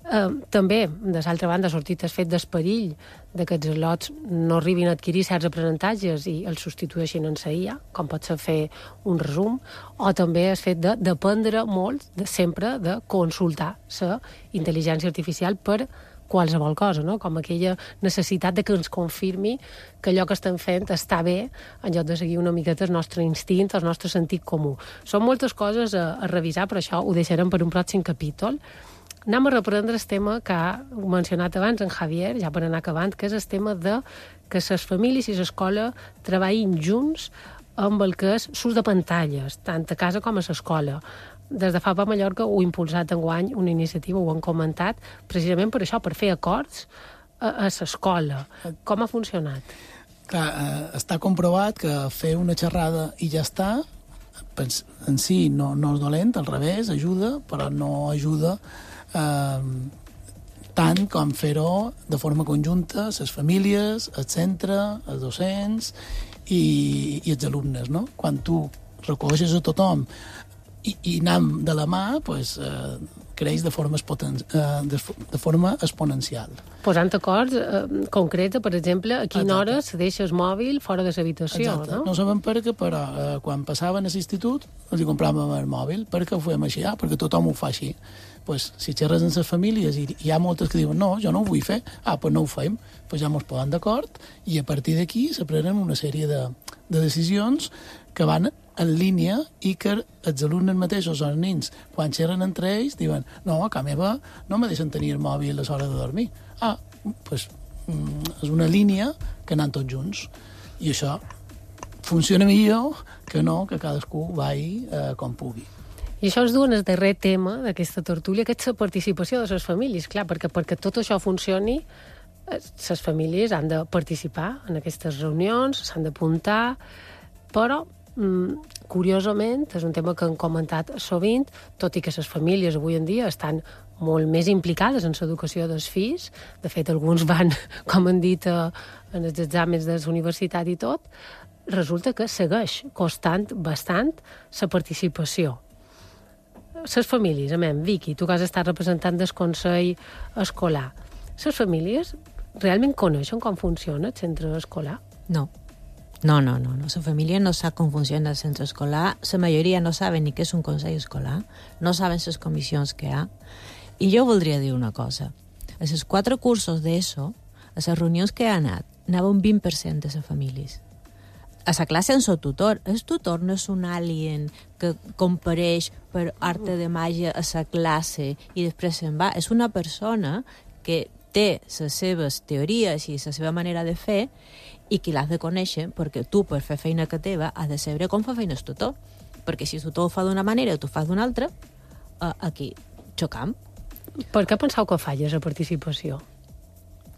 Eh, també, de l'altra banda, ha sortit el fet d'esperill de que els lots no arribin a adquirir certs aprenentatges i els substitueixin en la I A, com pot ser fer un resum, o també el fet de dependre molt de, sempre de consultar la intel·ligència artificial per qualsevol cosa, no? Com aquella necessitat de que ens confirmi que allò que estem fent està bé en lloc de seguir una miqueta el nostre instint, el nostre sentit comú. Són moltes coses a, a revisar, però això ho deixarem per un pròxim capítol. Anem a reprendre el tema que ha mencionat abans en Javier, ja per anar acabant, que és el tema de que les famílies i l'escola treballin junts amb el que és l'ús de pantalles, tant a casa com a l'escola. Des de F A P a Mallorca ho ha impulsat enguany una iniciativa, ho han comentat, precisament per això, per fer acords a, a l'escola. Com ha funcionat? Clar, eh, està comprovat que fer una xerrada i ja està, en si no, no és dolent, al revés, ajuda, però no ajuda eh, tant com fer-ho de forma conjunta, les famílies, el centre, els docents i, i els alumnes, no? Quan tu recolzes a tothom i, i anem de la mà, pues, eh, creix de forma, expoten eh, de, de forma exponencial. Posant acords eh, concrets, per exemple, a quina hora se deixa el mòbil fora de l'habitació, no? No sabem per què, però eh, quan passaven a l'institut els hi compràvem el mòbil. Per què ho fem així? Ah, perquè tothom ho fa així. Pues, si xerres amb les famílies i hi ha moltes que diuen no, jo no ho vull fer, ah, pues no ho fem. Pues ja ens posem d'acord i a partir d'aquí se prenen una sèrie de, de decisions que van en línia i que els alumnes mateixos o els nens, quan xerren entre ells, diuen no, a casa meva no me deixen tenir el mòbil a l'hora de dormir. Ah, doncs és una línia que anem tots junts. I això funciona millor que no que cadascú vagi eh, com pugui. I això ens du en el darrer tema d'aquesta tertúlia, que és la participació de les famílies. Clar, perquè perquè tot això funcioni, les famílies han de participar en aquestes reunions, s'han d'apuntar, però curiosament, és un tema que han comentat sovint, tot i que les famílies avui en dia estan molt més implicades en l'educació dels fills, de fet alguns van, com han dit, en els exàmens de la universitat i tot, resulta que segueix costant bastant la participació. Les famílies, amem, Vicky, tu que has estat representant del Consell Escolar, les famílies realment coneixen com funciona el centre escolar? No. No, no, no, no. La família no sap com funciona el centre escolar, la majoria no saben ni què és un consell escolar, no saben les comissions que hi ha. I jo voldria dir una cosa. A els quatre cursos d'ESO, a les reunions que he anat, anava un vint per cent de les famílies. A la classe en el tutor. El tutor no és un alien que compareix per arte de màgia a la classe i després se'n va. És una persona que té les seves teories i la seva manera de fer i qui l'has de conèixer, perquè tu, per fer feina que teva, has de saber com fa feina el tutor. Perquè si el tutor ho fa d'una manera i tu fas d'una altra, eh, aquí xocam. Per què penseu que falla la participació?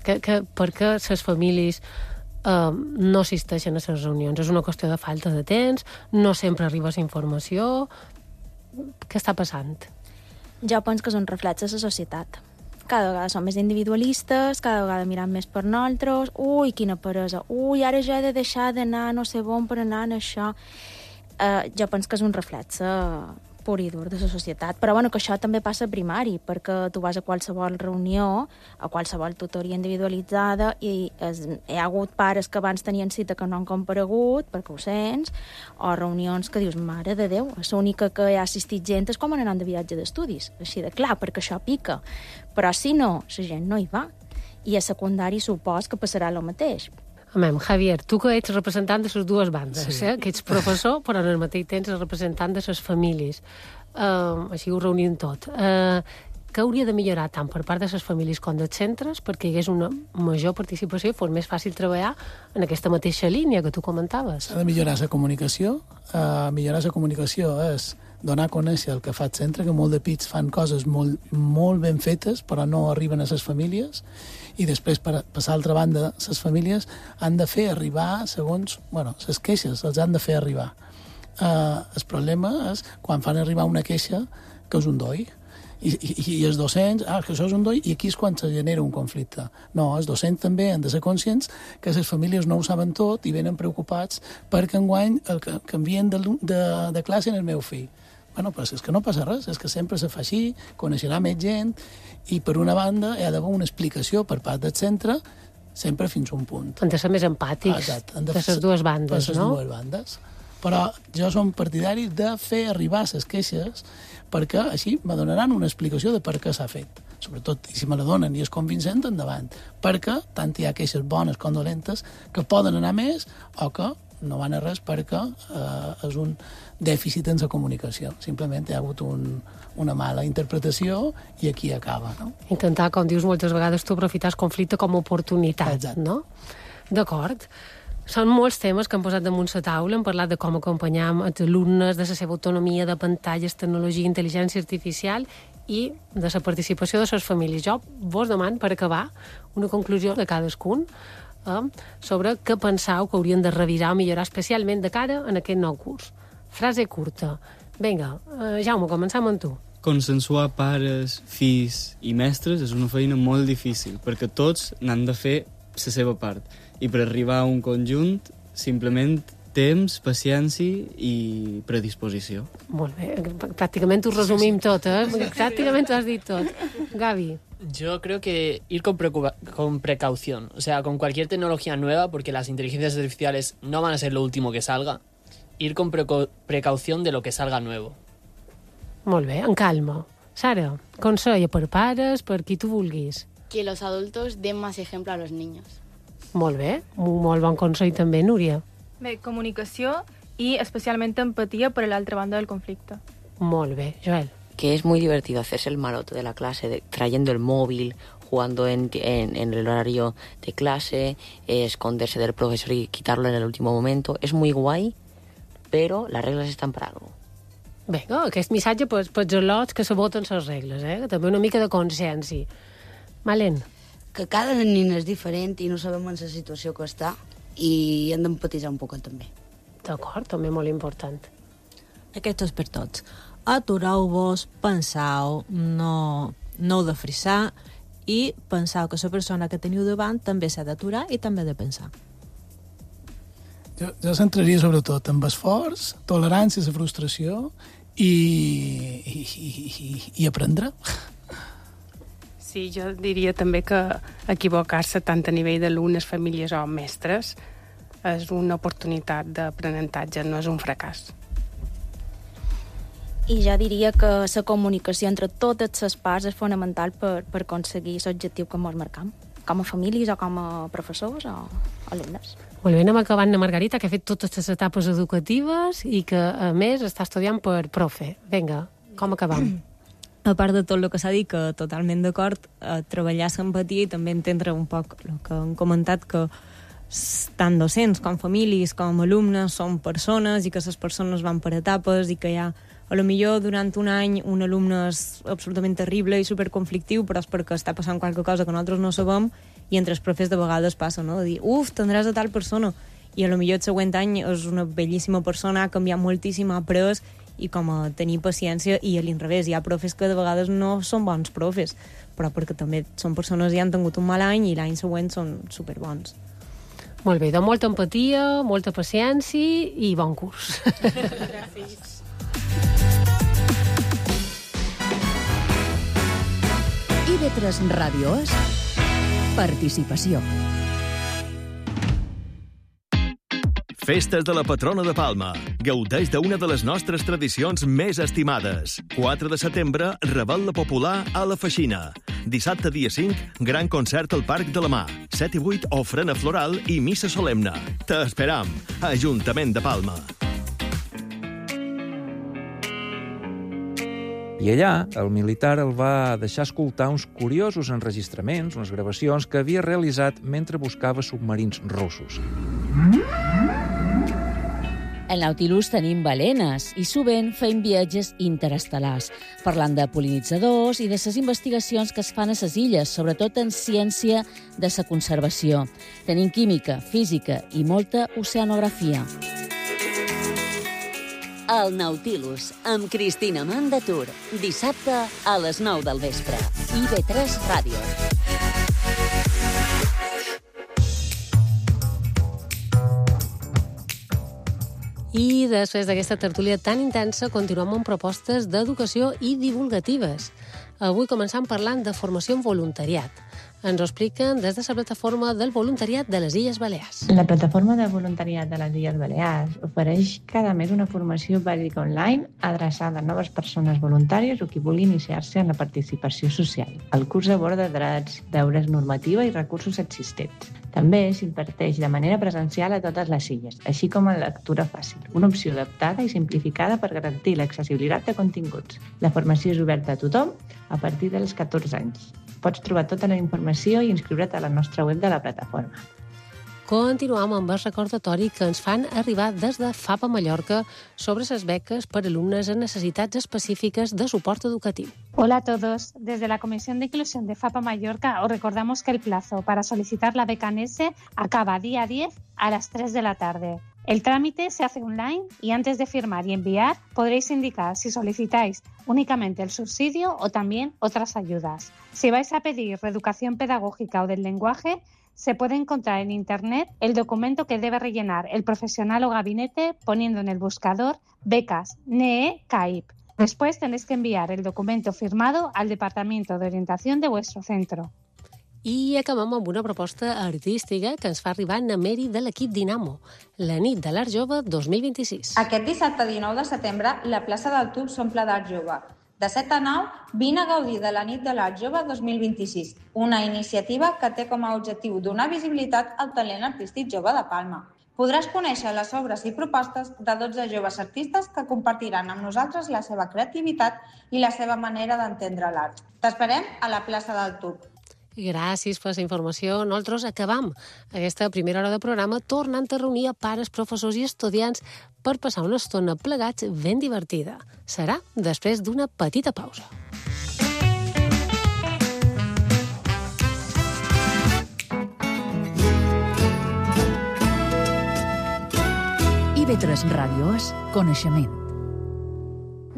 Que, que, per què les famílies eh, no assisteixen a les reunions? És una qüestió de falta de temps? No sempre arriba la informació? Què està passant? Jo penso que és un reflex de la societat. Cada vegada som més individualistes, cada vegada mirant més per nosaltres, ui, quina peresa, ui, ara jo he de deixar d'anar no sé on per anar en això. Uh, jo penso que és un reflex uh, pur i dur de la societat, però bueno, que això també passa a primari, perquè tu vas a qualsevol reunió, a qualsevol tutoria individualitzada, i es, hi ha hagut pares que abans tenien cita que no han comparegut, perquè ho sents, o reunions que dius, mare de Déu, l'única que hi ha assistit gent és com anant de viatge d'estudis, així de clar, perquè això pica. Però si no, la gent no hi va. I a secundari supos que passarà el mateix. Amem, Javier, tu que ets representant de les dues bandes, sí. eh? Que ets professor, però en el mateix temps ets representant de les famílies. Uh, així ho reunim tot. Uh, què hauria de millorar tant per part de les famílies com dels centres perquè hi hagués una major participació i fos més fàcil treballar en aquesta mateixa línia que tu comentaves? S'ha de millorar la comunicació. Uh, millorar la comunicació és donar a conèixer el que fa el centre, que molt de pits fan coses molt, molt ben fetes, però no arriben a les famílies, i després, per passar a l'altra banda, les famílies han de fer arribar, segons, bueno, les queixes, els han de fer arribar. Uh, el problema és quan fan arribar una queixa que és un doi, i, i, i els docents, ah, que això és un doi, i aquí és quan se genera un conflicte. No, els docents també han de ser conscients que les famílies no ho saben tot i venen preocupats perquè enguany el, canvien de, de, de classe en el meu fill. bueno, però és que no passa res, és que sempre se fa així, coneixerà més gent, i per una banda hi ha d'haver una explicació per part del centre, sempre fins a un punt. Han de ser més empàtics Exacte, de les dues bandes, de no? les dues bandes. Però jo som partidari de fer arribar les queixes perquè així me donaran una explicació de per què s'ha fet. Sobretot, si me la donen i és convincent, endavant. Perquè tant hi ha queixes bones com dolentes que poden anar més o que no van a res perquè eh, és un dèficit en la comunicació. Simplement hi ha hagut un, una mala interpretació i aquí acaba, no? Intentar, com dius moltes vegades, tu aprofitar el conflicte com a oportunitat, Exacte. no? D'acord. Són molts temes que han posat damunt la taula, hem parlat de com acompanyar els alumnes, de la seva autonomia, de pantalles, tecnologia, intel·ligència artificial i de la participació de les famílies. Jo vos demano, per acabar, una conclusió de cadascun eh, sobre què penseu que haurien de revisar o millorar especialment de cara en aquest nou curs. Frase curta. Vinga, eh, Jaume, començam amb tu. Consensuar pares, fills i mestres és una feina molt difícil, perquè tots n'han de fer la seva part. I per arribar a un conjunt, simplement temps, paciència i predisposició. Molt bé, pràcticament ho resumim tot, eh? Pràcticament ho has dit tot. Gaby. Yo creo que ir con, con precaución, o sea, con cualquier tecnología nueva, porque las inteligencias artificiales no van a ser lo último que salga, ir con precaución de lo que salga nuevo. Molt bé, en calma. Sara, consell per pares, per qui tu vulguis. Que los adultos den más ejemplo a los niños. Molt bé, un molt bon consell també, Núria. Bé, comunicació i especialment empatia per a l'altra banda del conflicte. Molt bé, Joel. Que es muy divertido hacerse el maroto de la clase, de, trayendo el móvil, jugando en, en, en el horario de clase, eh, esconderse del profesor y quitarlo en el último momento. Es muy guay, pero las reglas están para algo. Bé, oh, aquest missatge pels, pels al·lots que saboten les regles, eh? També una mica de consciència. Malen. Que cada nen és diferent i no sabem en la situació que està i hem d'empatitzar un poc també. D'acord, també molt important. Aquest és per tots. Atureu-vos, penseu, no, no heu de frissar i penseu que la persona que teniu davant també s'ha d'aturar i també ha de pensar. Jo, jo centraria sobretot en esforç, tolerància a la frustració i, i, i, i aprendre. Sí, jo diria també que equivocar-se tant a nivell d'alumnes, famílies o mestres és una oportunitat d'aprenentatge, no és un fracàs. I ja diria que la comunicació entre totes les parts és fonamental per, per aconseguir l'objectiu que ens marcam, com a famílies o com a professors o alumnes. Molt bé, anem acabant a Margarita, que ha fet totes les etapes educatives i que, a més, està estudiant per profe. Vinga, com acabam? A part de tot el que s'ha dit, que totalment d'acord, a treballar l'empatia i també entendre un poc el que han comentat, que tant docents com famílies com alumnes són persones i que les persones van per etapes i que hi ha, a lo millor durant un any un alumne és absolutament terrible i superconflictiu, però és perquè està passant qualque cosa que nosaltres no sabem i entre els profes de vegades passa, no? De dir, uf, tindràs a tal persona, i a lo millor el següent any és una bellíssima persona, ha canviat moltíssim, ha après, i com a tenir paciència, i a l'inrevés, hi ha profes que de vegades no són bons profes, però perquè també són persones i han tingut un mal any i l'any següent són superbons. Molt bé, doncs molta empatia, molta paciència i bon curs. Gràcies. I ve tres Ràdio és participació. Festes de la patrona de Palma. Gaudeix d'una de les nostres tradicions més estimades. quatre de setembre, Revetlla Popular a la Feixina. Dissabte, dia cinc, gran concert al Parc de la Mar. set i vuit, ofrena floral i missa solemne. T'esperam. Ajuntament de Palma. I allà, el militar el va deixar escoltar uns curiosos enregistraments, unes gravacions que havia realitzat mentre buscava submarins russos. Al Nautilus tenim balenes i sovint fem viatges interestel·lars, parlant de pol·linitzadors i de les investigacions que es fan a les illes, sobretot en ciència de la conservació. Tenim química, física i molta oceanografia. El Nautilus, amb Cristina Mandatur, dissabte a les nou del vespre. I ve tres Ràdio. I després d'aquesta tertúlia tan intensa, continuem amb propostes d'educació i divulgatives. Avui començam parlant de formació en voluntariat. Ens ho expliquen des de la plataforma del voluntariat de les Illes Balears. La plataforma de voluntariat de les Illes Balears ofereix cada mes una formació bàsica online adreçada a noves persones voluntàries o qui vulgui iniciar-se en la participació social. El curs aborda drets, deures, normativa i recursos existents. També s'imparteix de manera presencial a totes les illes, així com en lectura fàcil, una opció adaptada i simplificada per garantir l'accessibilitat de continguts. La formació és oberta a tothom a partir dels catorze anys. Pots trobar tota la informació i inscriure't a la nostra web de la plataforma. Continuam amb el recordatori que ens fan arribar des de FAPA Mallorca sobre les beques per alumnes amb necessitats específiques de suport educatiu. Hola a todos. Desde la Comisión de Inclusión de FAPA Mallorca os recordamos que el plazo para solicitar la beca N E S E acaba día diez a las tres de la tarde. El trámite se hace online y antes de firmar y enviar podréis indicar si solicitáis únicamente el subsidio o también otras ayudas. Si vais a pedir reeducación pedagógica o del lenguaje, se puede encontrar en Internet el documento que debe rellenar el profesional o gabinete poniendo en el buscador becas N E E C A I P. Después tenéis que enviar el documento firmado al Departamento de Orientación de vuestro centro. I acabem amb una proposta artística que ens fa arribar Nameri de l'equip Dinamo, la nit de l'Art Jove dos mil vint-i-sis. Aquest dissabte dinou de setembre, la plaça del Tub s'omple d'Art Jove. De set a nou, vine a gaudir de la nit de l'Art Jove dos mil vint-i-sis, una iniciativa que té com a objectiu donar visibilitat al talent artístic jove de Palma. Podràs conèixer les obres i propostes de dotze joves artistes que compartiran amb nosaltres la seva creativitat i la seva manera d'entendre l'art. T'esperem a la plaça del Tub. Gràcies per la informació. Nosaltres acabam aquesta primera hora de programa tornant a reunir a pares, professors i estudiants per passar una estona plegats ben divertida. Serà després d'una petita pausa. I B tres Ràdio és coneixement.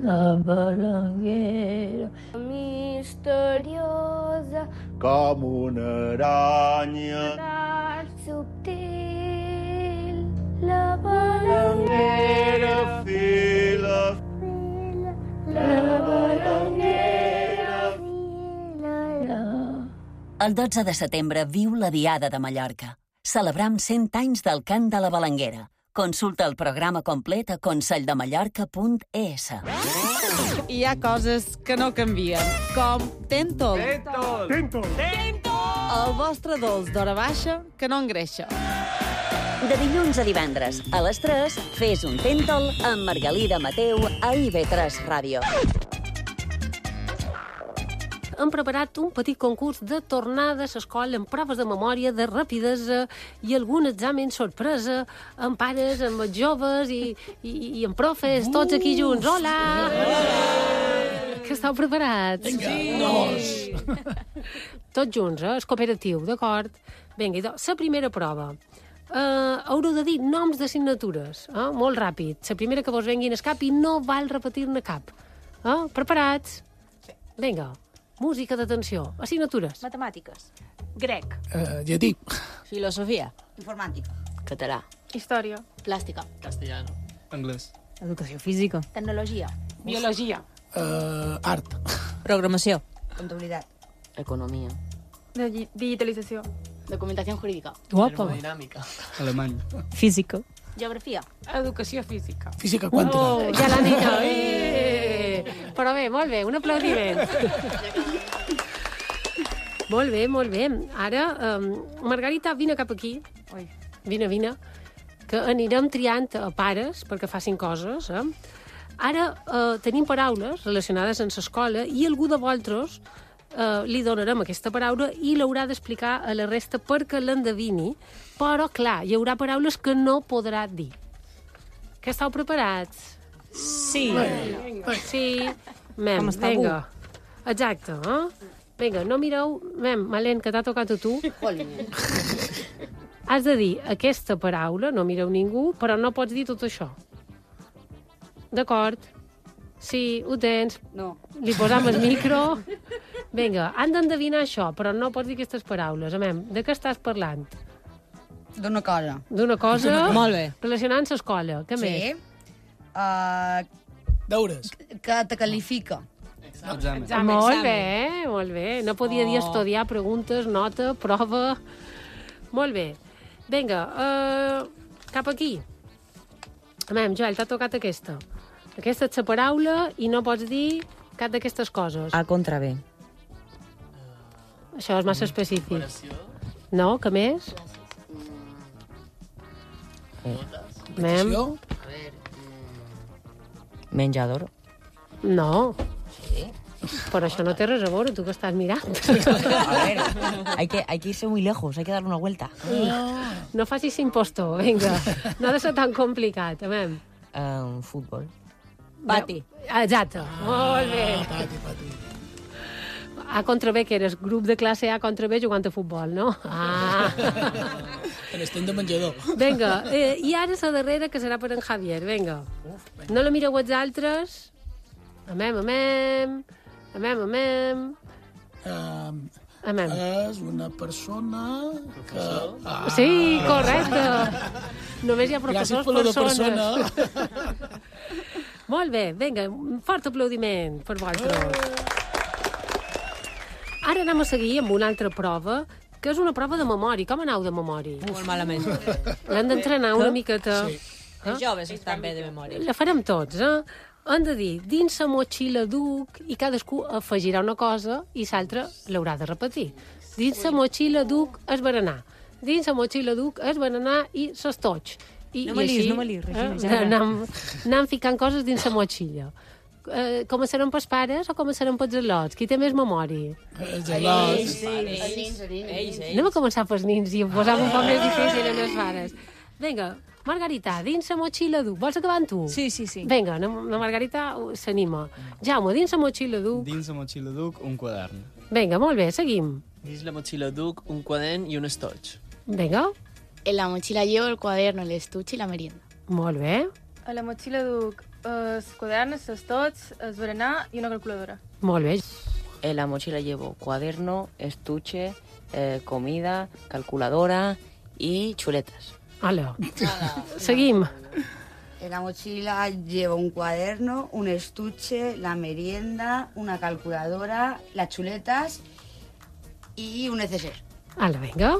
La balanguera misteriosa com una aranya d'art subtil, la balanguera fila, fila, la balanguera fila. El dotze de setembre viu la Diada de Mallorca. Celebram cent anys del cant de la Balanguera. Consulta el programa complet a conselldemallorca punt e s. Hi ha coses que no canvien, com Tentol. Tentol. Tentol. El vostre dolç d'hora baixa que no engreixa. De dilluns a divendres, a les tres, fes un Tentol amb Margalida Mateu a I B tres Ràdio. Hem preparat un petit concurs de tornada a l'escola amb proves de memòria, de rapidesa i algun examen sorpresa amb pares, amb joves i, i, i amb profes, tots aquí junts. Hola! Hola! Que esteu preparats? Vinga, sí. Tots junts, eh? És cooperatiu, d'acord? Vinga, idò, la primera prova. Uh, haureu de dir noms d'assignatures, eh? Molt ràpid. La primera que vos venguin al cap i no val repetir-ne cap. Eh? Preparats? Sí. Vinga. Música d'atenció. Assignatures. Matemàtiques. Grec. Uh, llatí. Filosofia. Informàtica. Català. Història. Plàstica. Castellano. Anglès. Educació física. Tecnologia. Biologia. Uh, art. Programació. Comptabilitat. Economia. De digitalització. Documentación jurídica. Guapa. Termodinàmica. Alemany. Física. Geografia. Educació física. Física quàntica. Oh, ja la nena. Eh! Però bé, molt bé, un aplaudiment. Molt bé, molt bé. Ara, um, Margarita, vine cap aquí. Oi. Vine, vine. Que anirem triant a pares perquè facin coses. Eh? Ara eh, tenim paraules relacionades amb l'escola i algú de vosaltres eh, li donarem aquesta paraula i l'haurà d'explicar a la resta perquè l'endevini. Però, clar, hi haurà paraules que no podrà dir. Que esteu preparats? Sí. Sí. Mem, vinga. Exacte, eh? Vinga, no mireu... Mem, Malén, que t'ha tocat a tu. Has de dir aquesta paraula, no mireu ningú, però no pots dir tot això. D'acord? Sí, ho tens. No. Li posam el micro. Vinga, han d'endevinar això, però no pots dir aquestes paraules. Mem, de què estàs parlant? D'una cosa. D'una cosa Molt bé. relacionant amb l'escola. Què Sí. més? Uh, Deures. que te qualifica. Examen. Molt bé, molt bé. No podia dir Oh. estudiar, preguntes, nota, prova... Molt bé. Vinga, uh, cap aquí. A veure, Joel, t'ha tocat aquesta. Aquesta és la paraula i no pots dir cap d'aquestes coses. A contra B. Això és massa específic. No? Què més? Mem? Menjador. No. Però això no té res a veure, tu que estàs mirant. A ver, hay que, hay que irse muy lejos, hay que darle una vuelta. No facis impostor, vinga. No ha de ser tan complicat. A veure. Um, futbol. Pati. Exacte. Molt bé. Pati, pati. A contra B, que eres grup de classe A contra B jugant a futbol, no? Ah. En estem de menjador. Vinga, eh, i ara la darrera, que serà per en Javier. Vinga. No la mireu els altres. Amem, amem. Amem, amem. Um, amem. És una persona que... Ah. Sí, correcte. Només hi ha professors, Gràcies per lo de persones. persona. Molt bé, vinga, un fort aplaudiment per vosaltres. Ara anem a seguir amb una altra prova, que és una prova de memòria. Com aneu de memòria? Molt malament. L'hem d'entrenar una miqueta. Sí. Els joves estan bé de memòria. La farem tots, eh? Hem de dir, dins la motxilla duc, i cadascú afegirà una cosa i l'altre l'haurà de repetir. Dins la motxilla duc és berenar. Dins la motxilla duc és berenar i s'estoig. I, No me i lis, així, no me lis, Regina, eh, ja veuràs. anem, anem ficant coses dins la motxilla. Eh, començarem pels pares o començarem pels al·lots? Qui té més memòria? Els al·lots. Ells, ells, ells. Anem a començar pels nins i posar un poc més difícil en les pares. Vinga, Margarita, dins la motxilla duc. Vols acabar amb tu? Sí, sí, sí. Vinga, la, la Margarita uh, s'anima. Jaume, dins la motxilla duc. Dins la motxilla duc un quadern. Vinga, molt bé, seguim. Dins la motxilla duc un quadern i un estoig. Vinga, En la mochila llevo el cuaderno, el estuche y la merienda. molt bé, A la motxilla duc els quaderns, els tots, el berenar i una calculadora. molt bé. En la mochila llevo cuaderno, estuche, eh, comida, calculadora y chuletas. Hola. Seguim. En la mochila llevo un cuaderno, un estuche, la merienda, una calculadora, las chuletas y un neceser. Hola, vinga.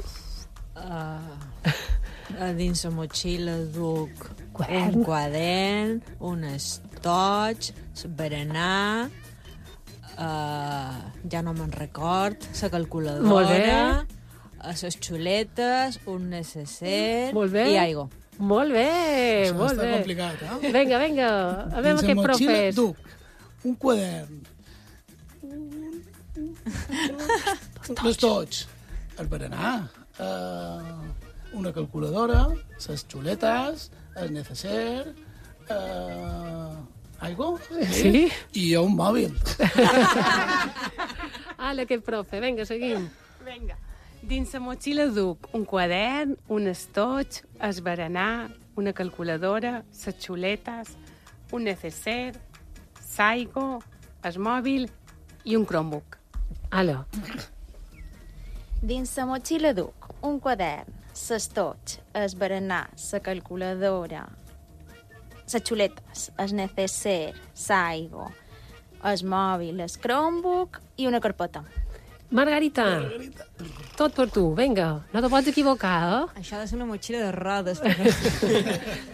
Uh, dins la motxilla duc Quadern. un quadern, un estoig, berenar, uh, ja no me'n record, la calculadora, Molt bé. les xuletes, un necesser Molt bé. i aigua. Molt bé, Això molt està bé. complicat, eh? Vinga, vinga, a veure Dins aquest la motxilla profes. duc un quadern, un estoig, el berenar, uh, una calculadora, les xuletes, el neceser, uh, aigua, Sí. i un mòbil. Hola, aquest profe. Vinga, seguim. Vinga. Dins la motxilla duc un quadern, un estoig, el berenar, una calculadora, les xuletes, un neceser, l'aigua, el mòbil i un Chromebook. Hola. Dins la motxilla duc un quadern, l'estoig, el berenar, la calculadora, les xuletes, el necesser, l'aigua, el mòbil, el Chromebook i una carpeta. Margarita, tot per tu. Vinga, no te pots equivocar, eh? Això ha de ser una motxilla de rodes.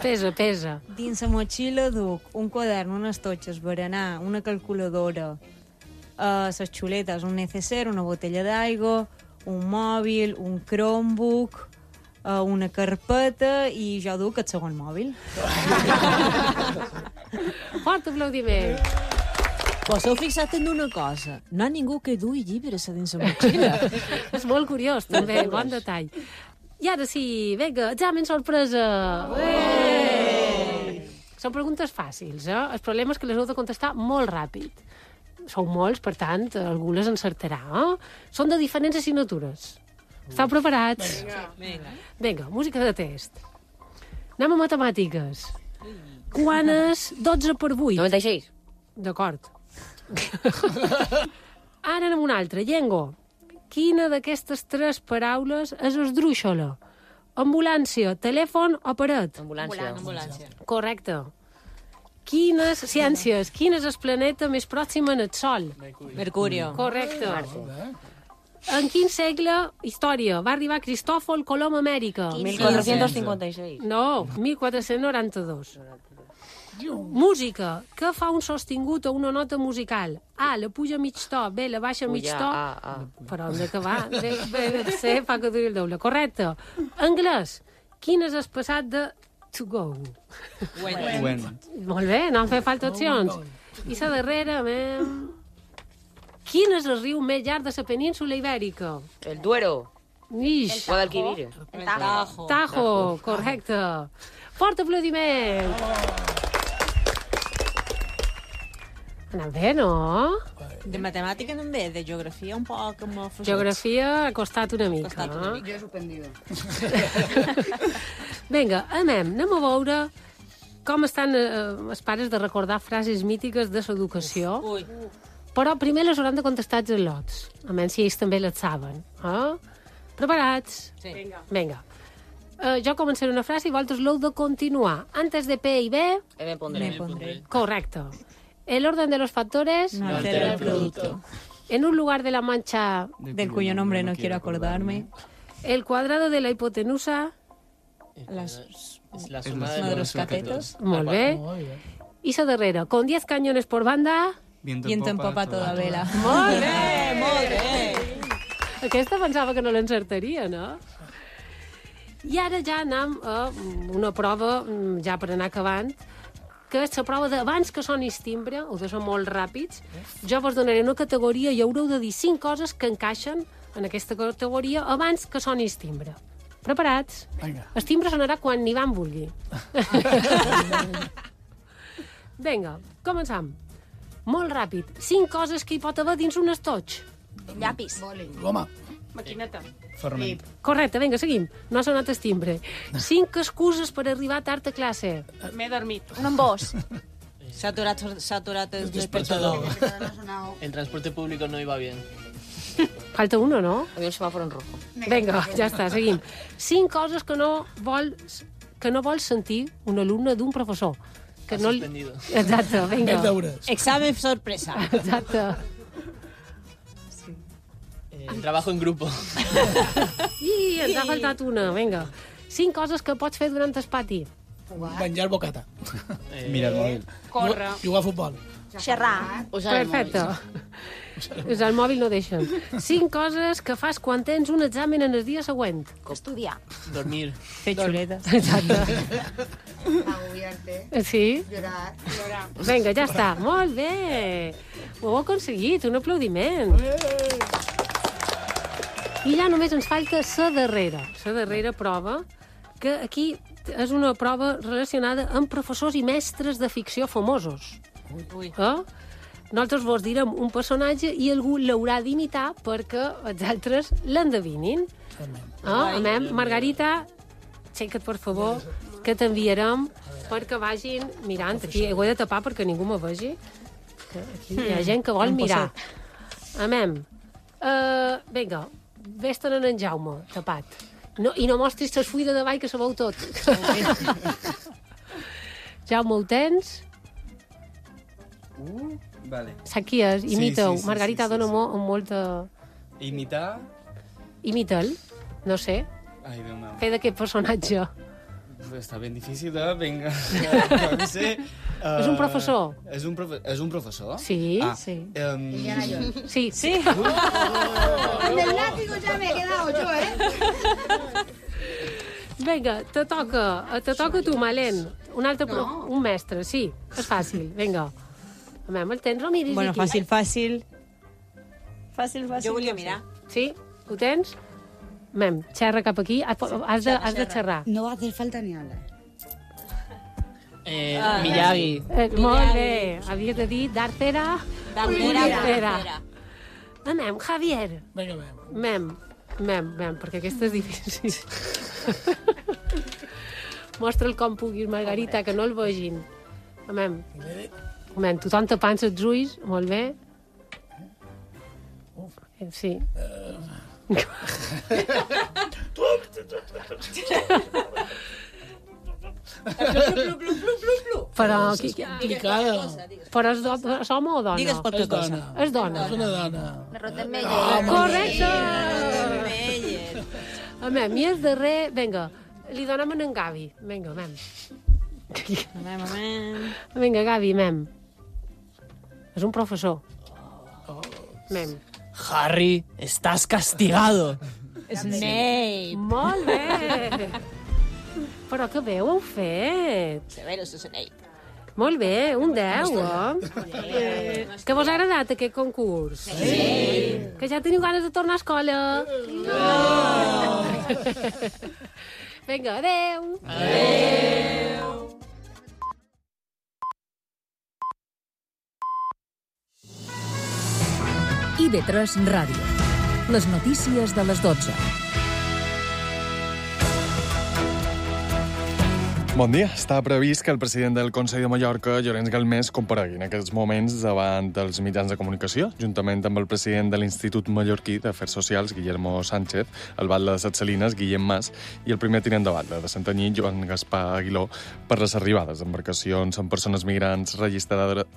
Pesa, pesa. Dins la motxilla duc un quadern, un estoig, el berenar, una calculadora, uh, les xuletes, un neceser, una botella d'aigua, un mòbil, un Chromebook, uh, una carpeta i jo duc el segon mòbil. Fort aplaudiment. Vos heu fixat en una cosa? No hi ha ningú que dui llibres a dins la motxilla. És molt curiós, també, bon detall. I ara sí, vinga, examen sorpresa. Ué! Són preguntes fàcils, eh? El problema és que les heu de contestar molt ràpid. Sou molts, per tant, algú les encertarà, eh? Són de diferents assignatures. Esteu preparats? Vinga. Vinga, música de test. Anem a matemàtiques. Quan és dotze per vuit? noventa-seis. D'acord. Ara anem una altra. Llengua. Quina d'aquestes tres paraules és esdrúixola? Ambulància, telèfon o paret? Ambulància. Ambulància. Correcte. Quines ciències, quin és el planeta més pròxim al Sol? Mercurio. Correcte. En quin segle, història, va arribar Cristòfol Colom a Amèrica? mil quatre-cents cinquanta-sis. No, mil quatre-cents noranta-dos. Música. Què fa un sostingut o una nota musical? A, la puja mig to. B, la baixa mig Puja, to. A, A. Però hem d'acabar. B, B, C, fa que duri el doble. Correcte. Anglès. Quin és el passat de to go? Went. Went. Molt bé, no han fet falta opcions. I la darrera, mem... Quin és el riu més llarg de la península ibèrica? El Duero. Ix. Guadalquivir. El Tajo. Tajo, correcte. Fort aplaudiment. Anant bé, no? De matemàtica també, de geografia un poc amb el Geografia ha costat una mica. Costat una no? mica. Jo he suspendido. Vinga, anem, anem a veure com estan eh, els pares de recordar frases mítiques de l'educació. Ui. Però primer les hauran de contestar els al·lots, a menys si ells també les saben. Eh? Preparats? Sí. Vinga. Vinga. Uh, jo començaré una frase i vosaltres l'heu de continuar. Antes de P y B... Me pondré. Me pondré. Correcto. El orden de los factores... No altera el producto. En un lugar de la mancha... Del cuyo nombre no quiero acordarme. El cuadrado de la hipotenusa... Las... Es la suma de los catetos. Molt bé. I la darrera. Con diez cañones por banda... Viento en popa toda vela. Molt bé, molt bé. Aquesta pensava que no l'encertaria, no? I ara ja anem a una prova, ja per anar acabant, que és la prova d'abans que sonis timbre, heu de ser molt ràpids. Jo vos donaré una categoria i haureu de dir cinc coses que encaixen en aquesta categoria abans que sonis timbre. Preparats? Vinga. El timbre sonarà quan n'hi van vulgui. Vinga, començam. Molt ràpid. Cinc coses que hi pot haver dins un estoig. Llapis. Goma. Maquineta. Ferment. Correcte, vinga, seguim. No ha sonat el timbre. Cinc excuses per arribar tard a classe. M'he dormit. Un embós. S'ha aturat, s'ha aturat el despertador. El transporte público no iba bien. Falta uno, no? Había un semáforo en rojo. Vinga, ja està, seguim. Cinc coses que no vols, que no vols sentir un alumne d'un professor. Que Ha no... suspendido. Exacte, vinga. Més deures. Examen sorpresa. Exacte. Eh, trabajo en grupo. I ens ha faltat una, vinga. Cinc coses que pots fer durant el pati. Menjar bocata. Eh, Mira el mòbil. Córrer. Jugar a futbol. Xerrar. Usar el Perfecte. móvil. Usar el mòbil no deixen. Cinc coses que fas quan tens un examen en el dia següent. Estudiar. Dormir. Fer xuletes. Exacte. Agobiarte. Sí? Llorar. Llorar. Vinga, ja està. Molt bé. Ho heu aconseguit. Un aplaudiment. I ja només ens falta la darrera. La darrera prova, que aquí és una prova relacionada amb professors i mestres de ficció famosos. Ui. Eh? Nosaltres vos direm un personatge i algú l'haurà d'imitar perquè els altres l'endevinin. Eh? Amem, Margarita, aixeca't, per favor, que t'enviarem perquè vagin mirant. Aquí ho he de tapar perquè ningú me vegi. Que aquí hi ha gent que vol Hem mirar. Amem. Uh, vinga, vés-te'n en Jaume, tapat. No, I no mostris les fuides de ball, que sabeu tot. Jaume, ho tens? Uh, vale. Saps qui és? Imita-ho. Sí, sí, sí, Margarita, sí, sí, dona sí. mo- molta... Imitar... Imita'l. No sé. Ai, Déu meu. Fer d'aquest personatge. Està ben difícil, eh? Vinga. No sé. Uh, És un professor. És un, profe és un professor? Sí, ah, sí. Um... Indiana Jones. Sí. Sí. Con el látigo ya me he quedado yo, ¿eh? Vinga, te toca. Te toca tu, Malen. Un altre... Pro... No. Un mestre, sí. És fàcil. Vinga. Amem, el tens o miris Bueno, aquí? fàcil, fàcil. Fàcil, fàcil. Jo volia mirar. Sí? Ho tens? Mem, xerra cap aquí. Has de, has de xerrar. No va a hacer falta ni hablar. Eh, Miyagi. Eh, molt bé. Havies de dir Dartera. Dartera. Anem, Javier. Vinga, vinga. Mem, mem, mem, perquè aquesta és difícil. Mostra'l com puguis, Margarita, que no el vegin. Mem, mem, tothom tapant els ulls, molt bé. Sí. Però... Qui, qui, Picada. però és, do, és home o dona? Digues qualque És dona. cosa. És dona. És una dona. La Rottenmeier. Ah, Correcte! Meyer. A mem, i és darrer... Vinga, li donem a en Gavi. Vinga, mem. Mem, mem. Vinga, Gavi, mem. És un professor. Mem. Harry, estàs castigado. Snape. Molt bé! Però que bé ho heu fet. Severus Snape. Molt bé, un deu, eh? Que vos ha agradat aquest concurs? Sí. Que ja teniu ganes de tornar a escola? No! Vinga, adeu! Adeu! I ve tres Ràdio. Les notícies de les dotze. Bon dia. Està previst que el president del Consell de Mallorca, Llorenç Galmés, comparegui en aquests moments davant dels mitjans de comunicació, juntament amb el president de l'Institut Mallorquí d'Afers Socials, Guillermo Sánchez, el batlle de Set Salines, Guillem Mas, i el primer tinent de batlle de Santanyí, Joan Gaspar Aguiló, per les arribades d'embarcacions amb persones migrants registrades